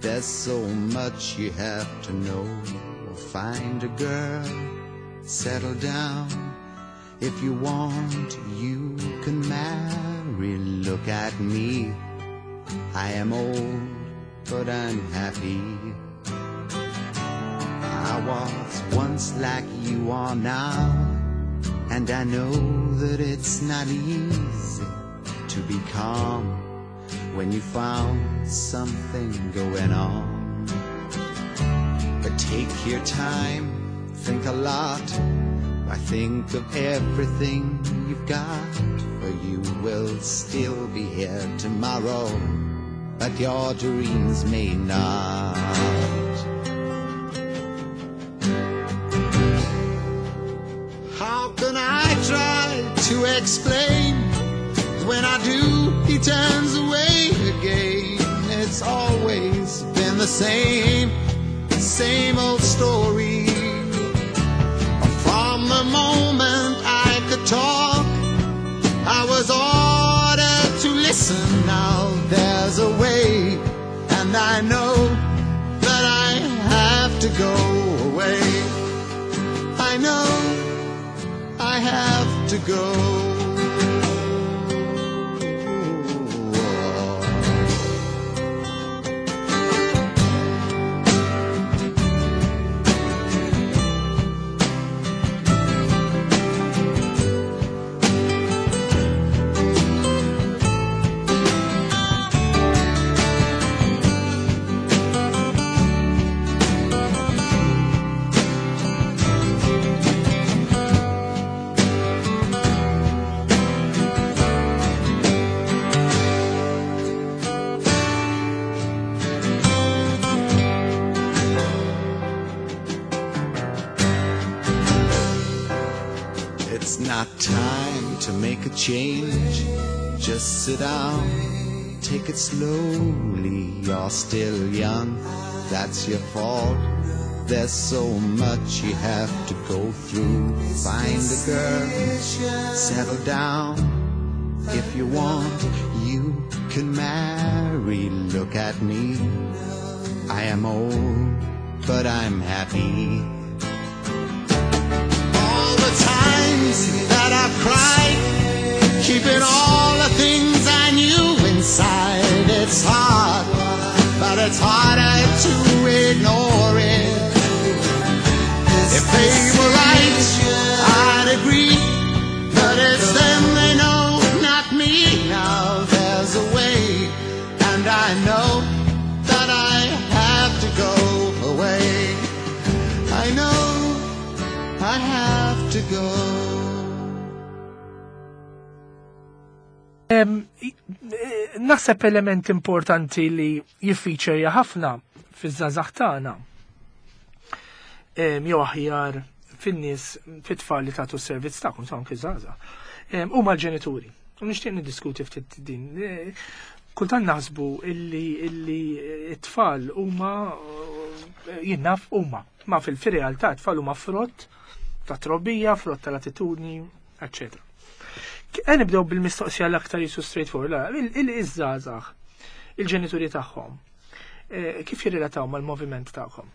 S4: There's so much you have to know. Find a girl, settle down. If you want, you can marry. Look at me. I am old, but I'm happy. I was once like you are now, and I know that it's not easy to be calm when you found something going on. But take your time, think a lot. I think of everything you've got, for you will still be here tomorrow, but your dreams may not. How can I try to explain? When I do, he turns away again. It's always been the same, same old story. From the moment I could talk, I was ordered to listen. Now there's a way, and I know that I have to go away. I know I have to go. It's not time to make a change. Just sit down, take it slowly. You're still young, that's your fault. There's so much you have to go through. Find a girl, settle down. If you want, you can marry. Look at me. I am old, but I'm happy. All the times that I've cried, keeping all the things I knew inside. It's hard, but it's harder to ignore it. If they were right, I'd agree, but it's them they know, not me. Now there's a way, and I know that I have to go away. I know I have to go.
S1: Naħseb element importanti li jiffeaturja ħafna. fiż-żgħażagħ tagħna jew aħjar fin-nies fit-tfal li tagħtu s-servizz tagħkom sa anke żgħażagħ. Huma l-ġenituri. U nixtieq niddiskuti ftit din. Kultant naħsbu illi illi t-tfal huma jien naf huma, ma fil-realtà t-tfal huma frott ta' trobbija, frott tal-attitudni, eccetera. Għan nibdew bil-mistoqsija l-aktar jisu straightforward, il-żgħażagħ, il-ġenituri tagħhom, kif jirrelataw mal-moviment tagħkom?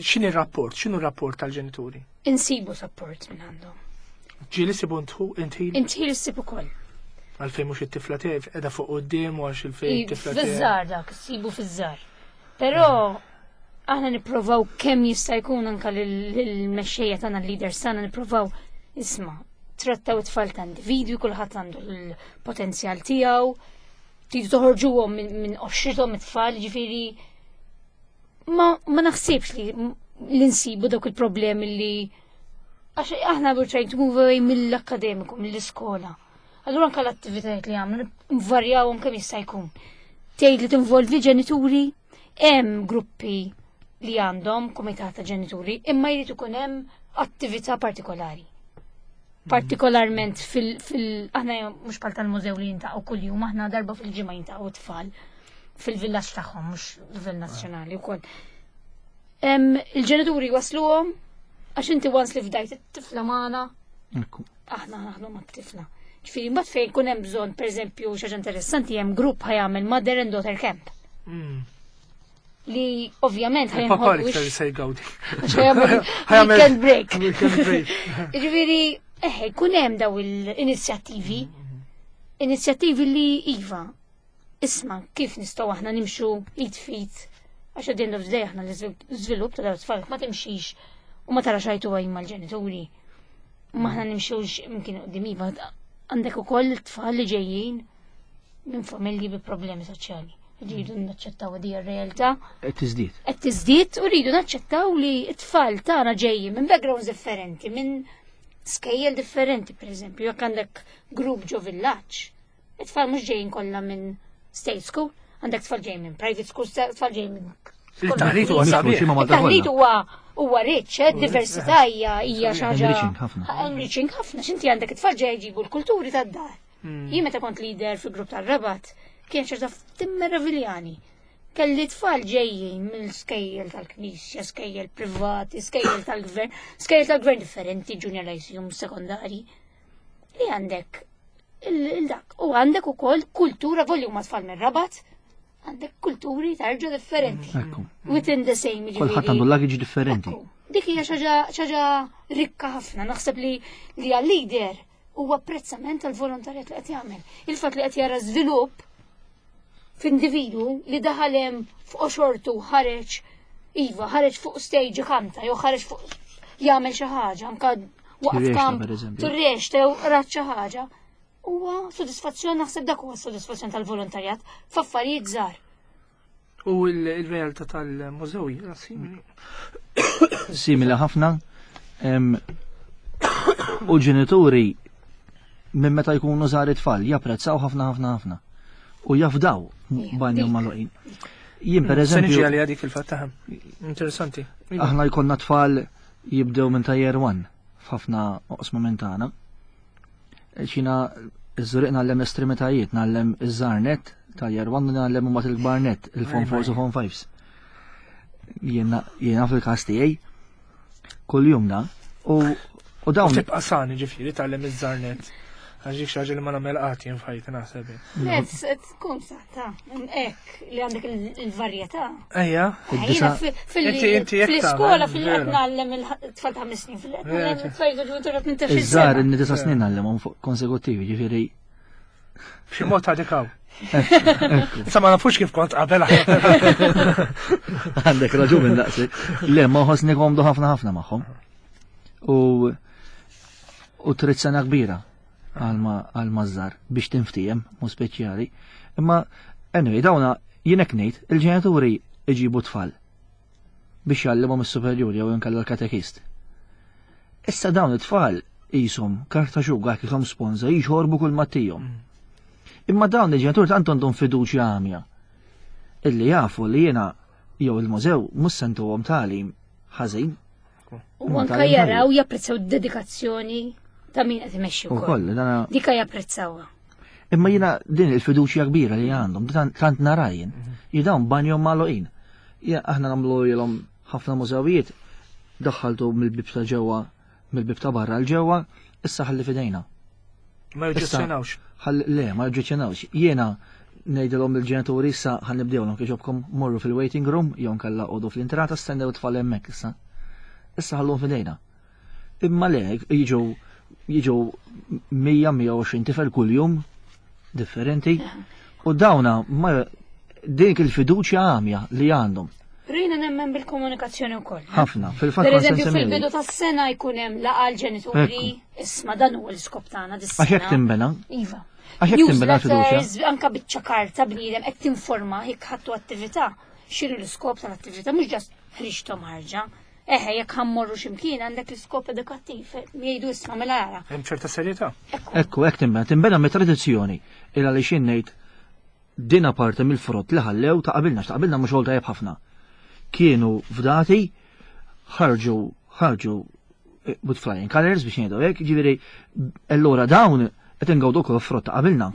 S1: X'inhi r-rapport? X'inhu r-rapport tal-ġenituri?
S2: Insibu support minn għandhom.
S1: Ġieli sibu intħil?
S2: Intħil issib ukoll.
S1: Għalfejn mhux it-tifla tiegħi qiegħda fuq quddiem u għax il-fejn it-tifla tiegħi.
S2: Fiż-żgħar dak, issibu fiż-żgħar. Però aħna nipprovaw kemm jista' jkun anke lill-mexxejja tagħna, l-leaders tagħna nipprovaw isma' trattaw it-tfal ta' individwi, kulħadd għandu l-potenzjal tiegħu, tridu toħorġuhom minn qoxrithom it-tfal, ġifieri ma, ma naħsibx li l-insibu dawk il-problemi li għax aħna we're trying to move away mill-akademiku, mill-iskola. Allura anka l-attivitajiet li għamlu nvarjawhom kemm jista' jkun. Tgħid li tinvolvi ġenituri, hemm gruppi li għandhom kumitat ta' ġenituri, imma jrid ikun hemm attività partikolari. Partikolarment fil, fil aħna mhux bħal tal-mużew li jintaqgħu kuljum, aħna darba fil-ġimgħa jintaqgħu tfal fil-villaġġ tagħhom, mhux livell nazzjonali wkoll. Il-ġenituri wasluhom għax inti once li fdajt it-tifla magħna, aħna naħdmu mat-tifla. Ġifieri mbagħad fejn ikun hemm bżonn, pereżempju, xi ħaġa interessanti hemm grupp ħa jagħmel mother and daughter camp. Li ovvjament
S1: ħa Papa l-iktar se jgawdi.
S2: Weekend break. Weekend break. Ġifieri, eħe, jkun hemm daw l-inizjattivi. Inizjattivi li iva, isma' kif nistgħu aħna nimxu id fit għax at the end of the day aħna l-iżvilupp ta' dawn it-tfal ma timxix u ma tarax eye to eye mal-ġenituri. Ma aħna nimxux imkien qudiem iva għandek ukoll tfal li ġejjin minn familji bi problemi soċjali. Rridu naċċettaw di r-realtà.
S3: Qed tiżdied.
S2: Qed tiżdied u rridu naċċettaw li t-tfal tagħna ġejjin minn backgrounds differenti, minn skejjel differenti, pereżempju, jekk għandek grupp ġo villaġġ, it-tfal mhux ġejjin kollha minn state school, għandek tfal ġejjin minn private school, tfal ġejjin minn
S1: Il-taħlit huwa sabiħ.
S2: Il-taħlit huwa huwa rich, diversità hija hija xi ħaġa.
S3: Enriching ħafna.
S2: Enriching ħafna, x'inti għandek it-tfal ġej jġibu l-kulturi tad-dar. Jien meta kont leader fil-grupp tar-Rabat, kien xi ħaġa timmerraviljani. Kelli tfal ġejjin mill-skejjel tal-knisja, skejjel privati, skejjel tal-gvern, skejjel tal-gvern differenti, junior lyceum, sekondari. Li għandek il-dak. U għandek ukoll kultura volju ma tfal mir-Rabat, għandek kulturi tarġa differenti.
S3: Ekku.
S2: Within the same,
S3: Kulħadd
S2: ġifieri.
S3: għandu luggage differenti.
S2: Ekku. Dik hija xi ħaġa rikka ħafna, naħseb li li għal-leader huwa apprezzament tal-volontarjat li qed jagħmel. Il-fatt li qed jara żvilupp f'individu li daħal hemm fuq xortu ħareġ iva, ħareġ fuq stage kanta, jew ħareġ fuq jagħmel xi ħaġa, anka waqt
S3: Tirrexta,
S2: kamp,
S3: per eżempju.
S2: tirrexta jew rat xi ħaġa. Huwa sodisfazzjon, naħseb dak huwa sodisfazzjon tal-volontarjat f'affarijiet żgħar.
S1: U il-realtà tal-mużew hija simili.
S3: Simili ħafna. U ġenituri minn meta jkunu żgħar it-tfal japprezzaw ħafna ħafna ħafna. U jafdaw banjhom magħluqin. Jien per
S1: Se niġi
S3: eżempju,
S1: għalija dik fil-fatt taħem. Interessanti. Iva.
S3: aħna jkollna tfal jibdew minn ta' year one f'ħafna oqsma minn tagħna. Xina iż-Żurrieq ngħallem l-estremitajiet, ngħallem iż-żgħar net ta' year one u ngħallem imbagħad il-kbar net, il-form 4 u form 5s. Jiena fil-każ tiegħi kuljum da u u dawn
S1: Tibqa' sani ġifieri tgħallem iż-żgħar net. Għax dik xi ħaġa li ma nagħmel qatt jien f'ħajti naħseb.
S2: Le, tkun saħta, hekk li għandek il-varjetà.
S1: Ejja.
S2: Jiena
S1: Inti jekk
S2: fil-iskola
S1: tagħmel,
S2: fil-qed
S1: vera.
S2: ngħallem il-tfal ta' 5 snin, fil-qed ngħallem it-tfal ġu ta'
S3: iż-żgħar
S2: sena.
S3: inni 9 snin ngħallimhom fuq konsekuttivi, ġifieri
S1: B'xi mod għadek hawn. Sa ma nafux kif kont qabel.
S3: Għandek raġun minn daqsik. Le, ma ħossni komdu ħafna ħafna magħhom. U trid sena kbira għal maż-żgħar biex tinftiehem, mu speċjali. Imma anyway, dawna jien hekk ngħid, il-ġenituri iġibu tfal biex jgħallimhom is-superjuri jew inkella l-katekist. Issa dawn it-tfal qishom karta xuga kifhom sponza jixorbu kull mattijhom. Imma dawn il-ġenituri tant għandhom fiduċja għamja illi jafu li jiena jew il-mużew mhux se ntuhom tagħlim ħażin.
S2: U anka jaraw japprezzaw dedikazzjoni ta' min qed imexxi wkoll. Dika japprezzawha.
S3: Imma jiena din il-fiduċja kbira li għandhom, tant narajn, mhm. jidawn banjom magħluqin. Aħna nagħmlu ilhom ħafna mużewijiet, daħħaltu mill-bib ta' ġewwa, mill-bib ta' barra l ġewwa, issa ħalli fidejna.
S1: Ma joġġezzjonawx.
S3: Le, ma joġġezzjonawx. Jiena ngħidilhom il-ġenituri issa ħan nibdewlhom kieġobkom morru fil-waiting room jew nkella qogħdu fl-intrata stennew tfal hemmhekk issa. Issa ħallhom fidejna. Imma le, jiġu jiġu 100-120 tifel kuljum differenti u dawna ma dik il-fiduċja għamja li għandhom.
S2: Rina nemmen bil-komunikazzjoni wkoll. Eh?
S3: Ħafna, fil-fatt.
S2: Per eżempju, fil-bidu tas-sena jkun hemm laqgħa l-ġenituri, isma' dan huwa l-iskop tagħna dis-sena.
S3: Għax hekk timbena.
S2: Iva.
S3: Għax hekk timbena fiduċja.
S2: Anka biċċa karta bniedem qed tinforma jekk ħadtu attività, x'inhu l-iskop tal-attività, mhux ġast ħriġthom ħarġa. Eħe, jekk ħammorru x'imkien għandek l-iskop edukattiv, jgħidu isma' mela ara.
S1: Hemm ċerta serjetà.
S3: Ekku, hekk timbena, timbena mit-tradizzjoni il għaliex ngħid Din parti mill-frott li ħallew ta' qabilna, ta' qabilna mhux xogħol tajjeb ħafna. Kienu fdati, ħarġu ħarġu eh, with flying colors biex ngħidu hekk, ġifieri allura dawn qed ingawdu wkoll frott ta' qabilna.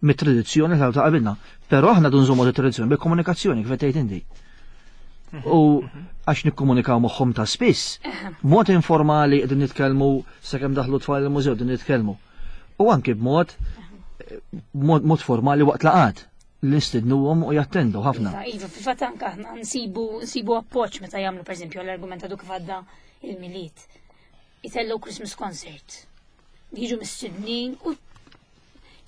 S3: Mit-tradizzjoni ta' qabilna. Però aħna dun żommu tradizzjoni bil-komunikazzjoni kif qed tgħid inti. U għax nikkomunikaw moħħom ta' spiss, mod informali qegħdin nitkellmu sakemm daħlu tfal il-mużew qegħdin nitkellmu. U anki b'mod mod formali waqt laqat li nistidnuhom u jattendu ħafna.
S2: Iva, iva, fil-fatt anke aħna nsibu nsibu appoġġ meta jagħmlu pereżempju l-argument għadu kif għadda il-Milied. Itellu Christmas concert. Jiġu mistednin u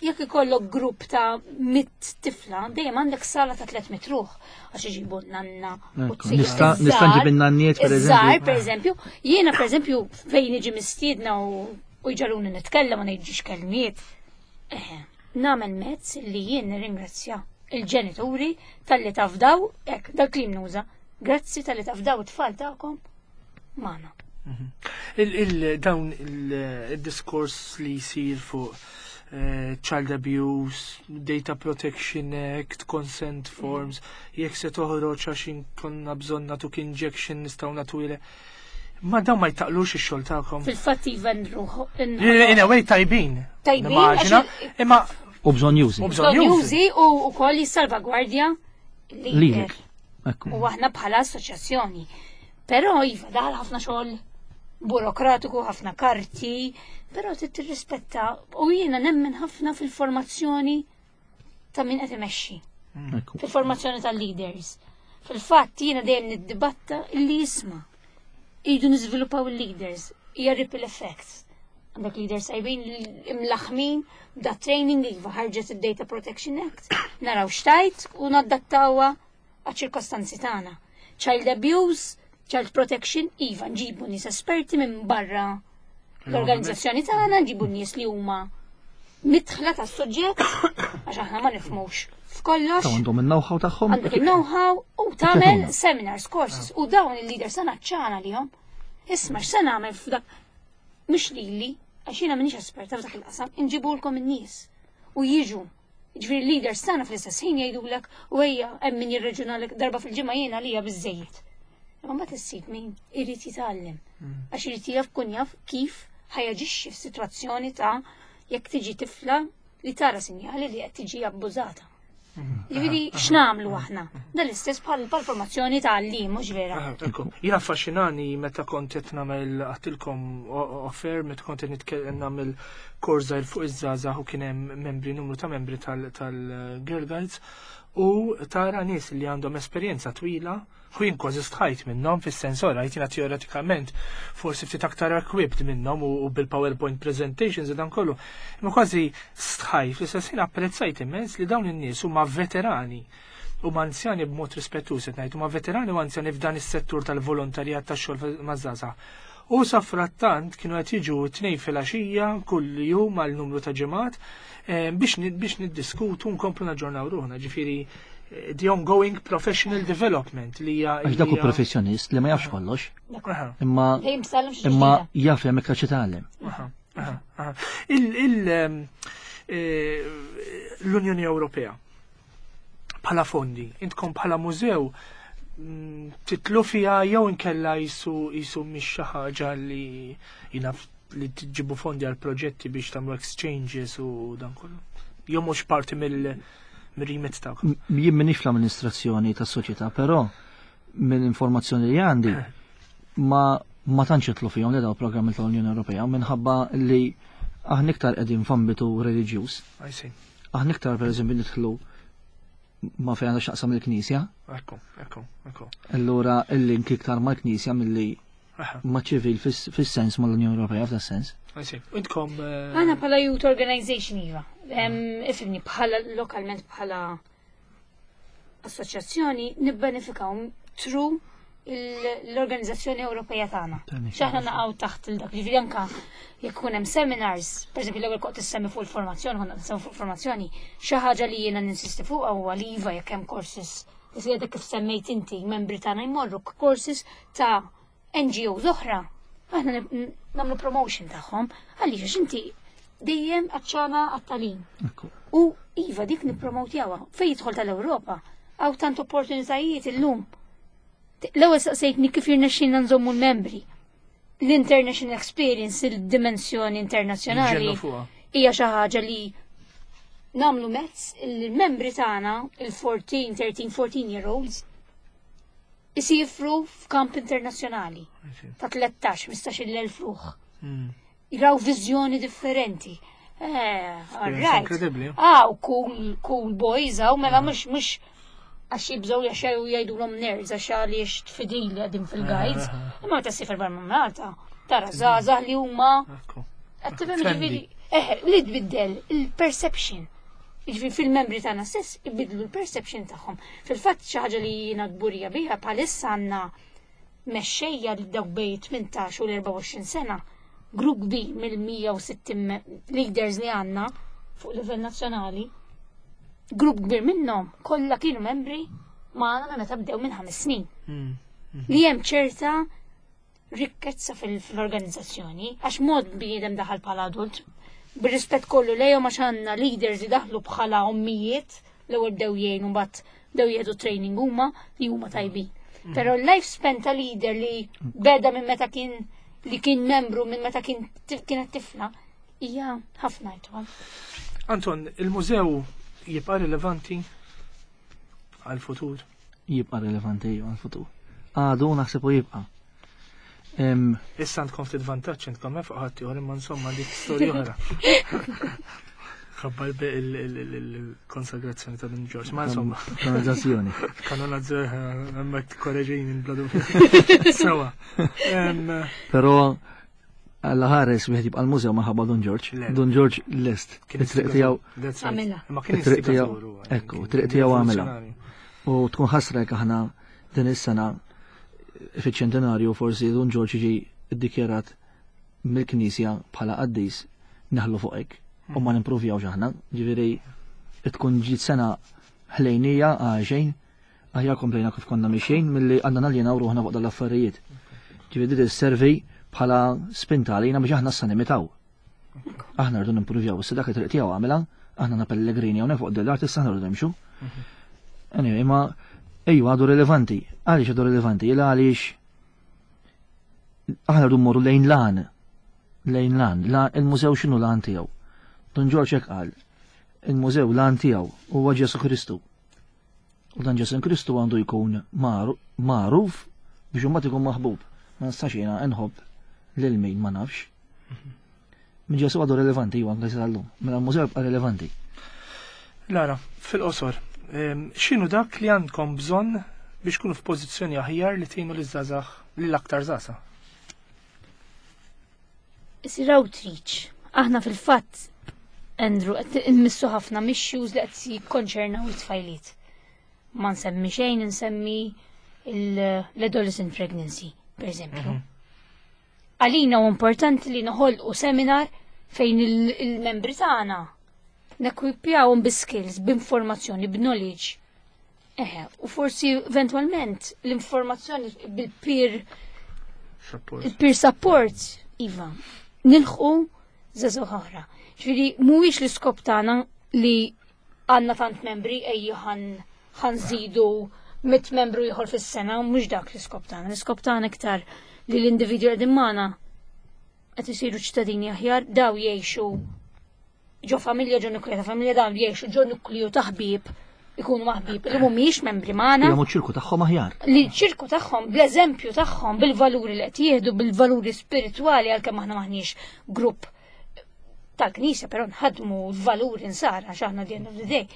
S2: jekk ikollok grupp ta' mit tifla, dejjem għandek sala ta' 300 ruħ għax iġibu nanna.
S3: Nista' nġib in-nanniet
S2: pereżempju. Per eżempju, jiena pereżempju fejn iġi mistiedna u u jġaluni nitkellem u ngħid ġiex kelmiet. Eħe, nagħmel mezz li jien nirringrazzja il-ġenituri talli tafdaw, hekk, dal-klim nuża, grazzi talli tafdaw it-tfal tagħkom magħna.
S1: Mhm. Dawn il-diskors li jsir fuq eh, child abuse, data protection act, consent forms, jekk se toħroġ għax inkonna bżonn nagħtuk injection nistgħu nagħtu Ma dawn ma jtaqlux ix-xogħol tagħkom.
S2: Fil-fatt iva nruħ.
S1: In a way tajbin.
S2: Tajbin.
S1: Imma
S3: U bżonn jużi.
S2: U bżonn jużi u wkoll jissalvagwardja
S3: lilek.
S2: U aħna bħala assoċjazzjoni. Però iva daħal ħafna xogħol burokratiku, ħafna karti, però trid tirrispetta u jiena nemmen ħafna fil-formazzjoni ta' min qed imexxi. Fil-formazzjoni tal-leaders. Fil-fatt jiena dejjem niddibatta illi jisma' Idu niżviluppaw il-leaders, hija ripple effect. Għandek leaders tajbin imlaħmin da training iva ħarġet id-Data Protection Act, naraw xtajt u nadattawha għaċ-ċirkostanzi tagħna. Child abuse, child protection, iva nġibu nies esperti minn barra l-organizzazzjoni tagħna, nġibu nies li huma mitħla tas suġġett għax aħna ma nifhmux f'kollox.
S3: Għandhom il-know-how tagħhom.
S2: Għandhom il-know-how u tagħmel seminars, courses u dawn il-leaders sana ċana lihom. Isma' x'se nagħmel f'dak mhux lili, għax jiena m'iniex esperta f'dak il-qasam, inġibulkom in-nies u jiġu. Ġifieri leaders tagħna fl-istess ħin jgħidulek u ejja hemm min jirreġunalek darba fil-ġimgħa jiena lija biżejjed. Imma mbagħad issib min irid jitgħallem. Mm. Għax irid jaf kun jaf kif ħajaġixxi f'sitwazzjoni ta' jekk tiġi tifla li tara sinjali li qed tiġi abbużata. Mm. Ġifieri x'nagħmlu aħna? Dan l-istess bħal formazzjoni ta' għallim, mhux vera.
S1: Jien affaxxinani meta kont qed nagħmel għattilkom offer meta kont qed nitkellem nagħmel kors żgħir fuq iż-żgħażagħ u kien hemm membri numru ta' membri tal-Girl Guides u tara nies li għandhom esperjenza twila U jien kważi stħajt minnhom fis-sens ora jiena teoretikament forsi ftit aktar equipped minnhom u bil-PowerPoint presentations u dan kollu. Imma kważi stħajt fl-istess ħin apprezzajt immens li dawn in-nies huma veterani u anzjani b'mod rispettuż qed ngħid huma veterani u anzjani f'dan is-settur tal-volontarjat tax-xogħol maż-żgħażagħ. U safrattant kienu qed jiġu t-tnejn filgħaxija kull jum għal numru ta' ġimgħat eh, biex niddiskutu nkomplu naġġornaw ruħna. Ġifieri the ongoing professional development li hija.
S3: Għax dak hu professjonist li ma jafx kollox. Imma imma jaf hemm iktar xi tgħallem.
S1: Eh, L-Unjoni Ewropea bħala fondi, intkom bħala mużew titlu fiha jew inkella jisu jisu mhix xi ħaġa li jina li tġibu fondi għal proġetti biex tagħmlu exchanges u dan kollu. Jew mhux parti mill-remit tagħkom.
S3: Jien m'iniex fl-amministrazzjoni tas-soċjetà, però mill-informazzjoni li għandi ma ma tantx jitlu fihom li daw programmi tal-Unjoni Ewropea minħabba li aħna iktar qegħdin f'ambitu reliġjuż.
S1: I see.
S3: Aħna iktar pereżempju nidħlu ma fejn għandha x'taqsam il-Knisja.
S1: Ekku, ekku, ekku.
S3: Allura il-link iktar mal-Knisja milli
S1: Aha,
S3: ma' ċivil fis-sens mal-Unjoni Ewropea f'da sens.
S1: I see. Intkom
S2: Għana bħala youth organization iva. Ifimni bħala lokalment bħala assoċjazzjoni nibbenefikaw through l-Organizzazzjoni Ewropea tagħna.
S3: Tani.
S2: X'aħna naqgħu taħt il dak, ġifieri anka jekk ikun hemm seminars, pereżempju l-ewwel kont issemmi fuq il-formazzjoni, konna nsemmi fuq il-formazzjoni, xi ħaġa li jiena ninsisti fuqha huwa li iva jekk hemm courses, issa kif semmejt inti, membri tagħna jmorru courses ta' NGOs oħra, aħna nagħmlu promotion tagħhom, għaliex għax inti dejjem għatxana għat-tagħlim.
S3: Ekku.
S2: U iva dik nippromotjawha fejn jidħol tal-Ewropa, hawn tant opportunitajiet illum. L-ewwel saqsejtni kif jirnexxilna nżommu l-membri. L-international experience, il-dimensjoni internazzjonali
S1: Nġennu fuqha.
S2: hija xi ħaġa li nagħmlu mezz il-membri tagħna, il-14, 13, 14 year olds, isifru f'kamp internazzjonali
S1: I see.
S2: ta' 13, 15 elf ruħ. Jraw viżjoni differenti. All right.
S1: Incredibbli.
S2: Ah, u cool, cool boys, għaw, mela mux, mux, għax jibżaw għax jgħidu l-om nerds, għax għaliex tfidili għadim fil-guides. Imma ta' sifar barra minn Malta, tara zazah li huma
S1: Ekku.
S2: qed tifhem
S1: Trendy.
S2: ġifieri, li tbiddel il-perception. Jiġifieri fil-membri tagħna stess ibidlu l-perception tagħhom. Fil-fatt xi ħaġa li jiena kburija biha bħalissa għandna mexxejja li dawk bejn 18 u l-24 sena, grupp kbir mill-160 leaders li għandna fuq livell nazzjonali, grupp kbir minnhom kollha kienu membri magħna minn meta bdew minn 5 snin. Li hemm ċerta rikkezza fil-organizzazzjoni, għax mod bniedem daħal bħala adult, bir-rispett kollu lejhom għax għandna leaders li daħlu bħala ommijiet, l-ewwel bdew jgħinu mbagħad bdew jieħdu training huma li huma tajbin. Però l-lifespan ta' leader li beda minn meta kien li kien membru minn meta kien kienet tifla hija ħafna itwal.
S1: Anton, il-mużew jibqa' rilevanti għal-futur?
S3: Jibqa' rilevanti għal-futur. Għadu naħseb u jibqa'.
S1: Issa għandkom ftit vantaġġ intkom hemm fuq ħadd ieħor imma insomma dik storja oħra. Ħabba il-konsagrazzjoni ta' Dun George, ma insomma.
S3: Kanonizzazzjoni.
S1: Kanonizzazzjoni, hemmhekk korreġini bla dubju. Sewa.
S3: Però Alla ħares wieħed jibqa' l-mużew minħabba Dun George.
S1: Le.
S3: Dun George lest.
S1: Kien
S3: It-triq tiegħu
S1: That's right.
S2: Għamilha.
S1: Imma kien
S3: It-triq tiegħu-
S1: instigatur huwa,
S3: ekku,
S1: kien
S3: it-triq tiegħu għamilha.
S1: rivoluzzjonarju.
S3: U tkun ħasra jekk aħna din is-sena fiċ-ċentenarju forsi Dun George jiġi ddikjarat mill-Knisja bħala qaddis neħlu fuq hekk u ma nimpruvjawx aħna. Ġifieri tkun ġiet sena ħlejnija għal xejn, aħjar komplejna kif konna mixejn milli għandna naljenaw ruħna fuq dal-affarijiet. Ġifieri din isservi bħala spinta għalina biex aħna issa nimitaw. Aħna rridu nimpruvjaw, issa dak it-triq tiegħu għamilha, aħna na pellegrini hawnhekk fuq dell-art issa aħna rridu nimxu. Anyway, ma ejju għadu rilevanti. Għaliex għadu rilevanti? Ila għaliex aħna rridu mmorru lejn lan. Lejn lan. La, il-mużew x'inhu lan tiegħu? Dun Ġorġ hekk qal. Il-mużew lan tiegħu huwa Ġesu Kristu. U dan Ġesu Kristu għandu jkun magħruf biex imbagħad ikun maħbub. Ma nistax jiena nħobb lil min ma nafx. Minn Ġesu għadu rilevanti ju anke sal-lum. Mela l-mużew jibqa' rilevanti.
S1: Lara, fil-qosor, x'inhu dak li għandkom bżonn biex kunu f'pożizzjoni aħjar li tgħinu liż-żgħażagħ lill-aktar żgħażagħ?
S2: Isir outreach. Aħna fil-fatt, Andrew, qed immissu ħafna issues li qed jikkonċernaw it-tfajliet. Ma nsemmi xejn, nsemmi l-adolescent pregnancy, per eżempju. Għalina u importanti li noħolqu seminar fejn il-membri tagħna nekwipjawhom bi skills, b'informazzjoni, b'knowledge. Eħe, u forsi eventualment l-informazzjoni bil-peer
S1: Support.
S2: il-peer support, iva, nilħqu żagħżugħ oħra. Ġifieri mhuwiex l-iskop tagħna li għandna tant membri ejju ħan nżidu mit membru ieħor fis-sena u mhux dak l-iskop tagħna. L-iskop tagħna iktar li l-individwi qegħdin magħna qed isiru ċittadini aħjar, daw jgħixu ġo familja, ġo nukliju ta' familja, daw jgħixu ġo nukliju ta' ħbieb, ikunu maħbib, li mhumiex membri magħna.
S3: Jagħmlu ċirku tagħhom aħjar.
S2: Li ċirku tagħhom, bl-eżempju tagħhom, bil-valuri li qed jieħdu, bil-valuri spiritwali għalkemm aħna maħniex grupp tal-Knisja, però nħadmu l-valuri nsara għax aħna the end of the day.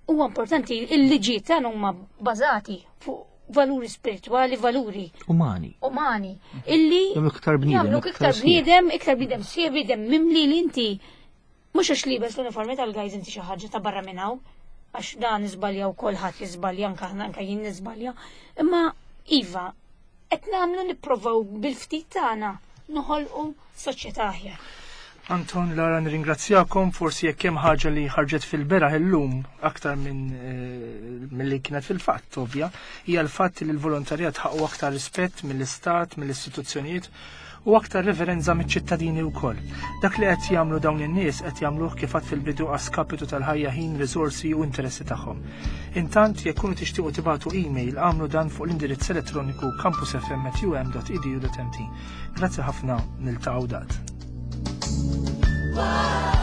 S2: Huwa importanti il-liġijiet tagħna huma bażati fuq valuri spiritwali, valuri
S3: umani.
S2: Umani. Illi
S3: iktar bniedem,
S2: iktar bniedem, iktar bniedem sieħ, bniedem mimli li inti mhux għax libes l-uniformi tal-gajz inti xi ħaġa ta' barra minn hawn, għax dan iżbalja u kulħadd jiżbalja anke aħna anke jien niżbalja. Imma iva, qed nagħmlu nipprovaw bil-ftit tagħna noħolqu soċjetà aħjar.
S1: Anton, Lara, nirringrazzjakom, forsi jekk hemm ħaġa li ħarġet fil-beraħ illum aktar minn eh, milli kienet fil-fatt, ovvja, hija l-fatt li l-volontarjat ħaqqu aktar rispett mill-istat, mill-istituzzjonijiet u aktar reverenza miċ-ċittadini wkoll. Dak li qed jagħmlu dawn in-nies qed jagħmluh kif għad fil-bidu għaskapitu tal-ħajja ħin, riżorsi u interessi tagħhom. Intant, jekk kunu tixtiequ tibagħtu email għamlu dan fuq l-indirizz elettroniku campusfm@um.edu.mt. Grazzi ħafna niltaqgħu dat.
S4: Wow.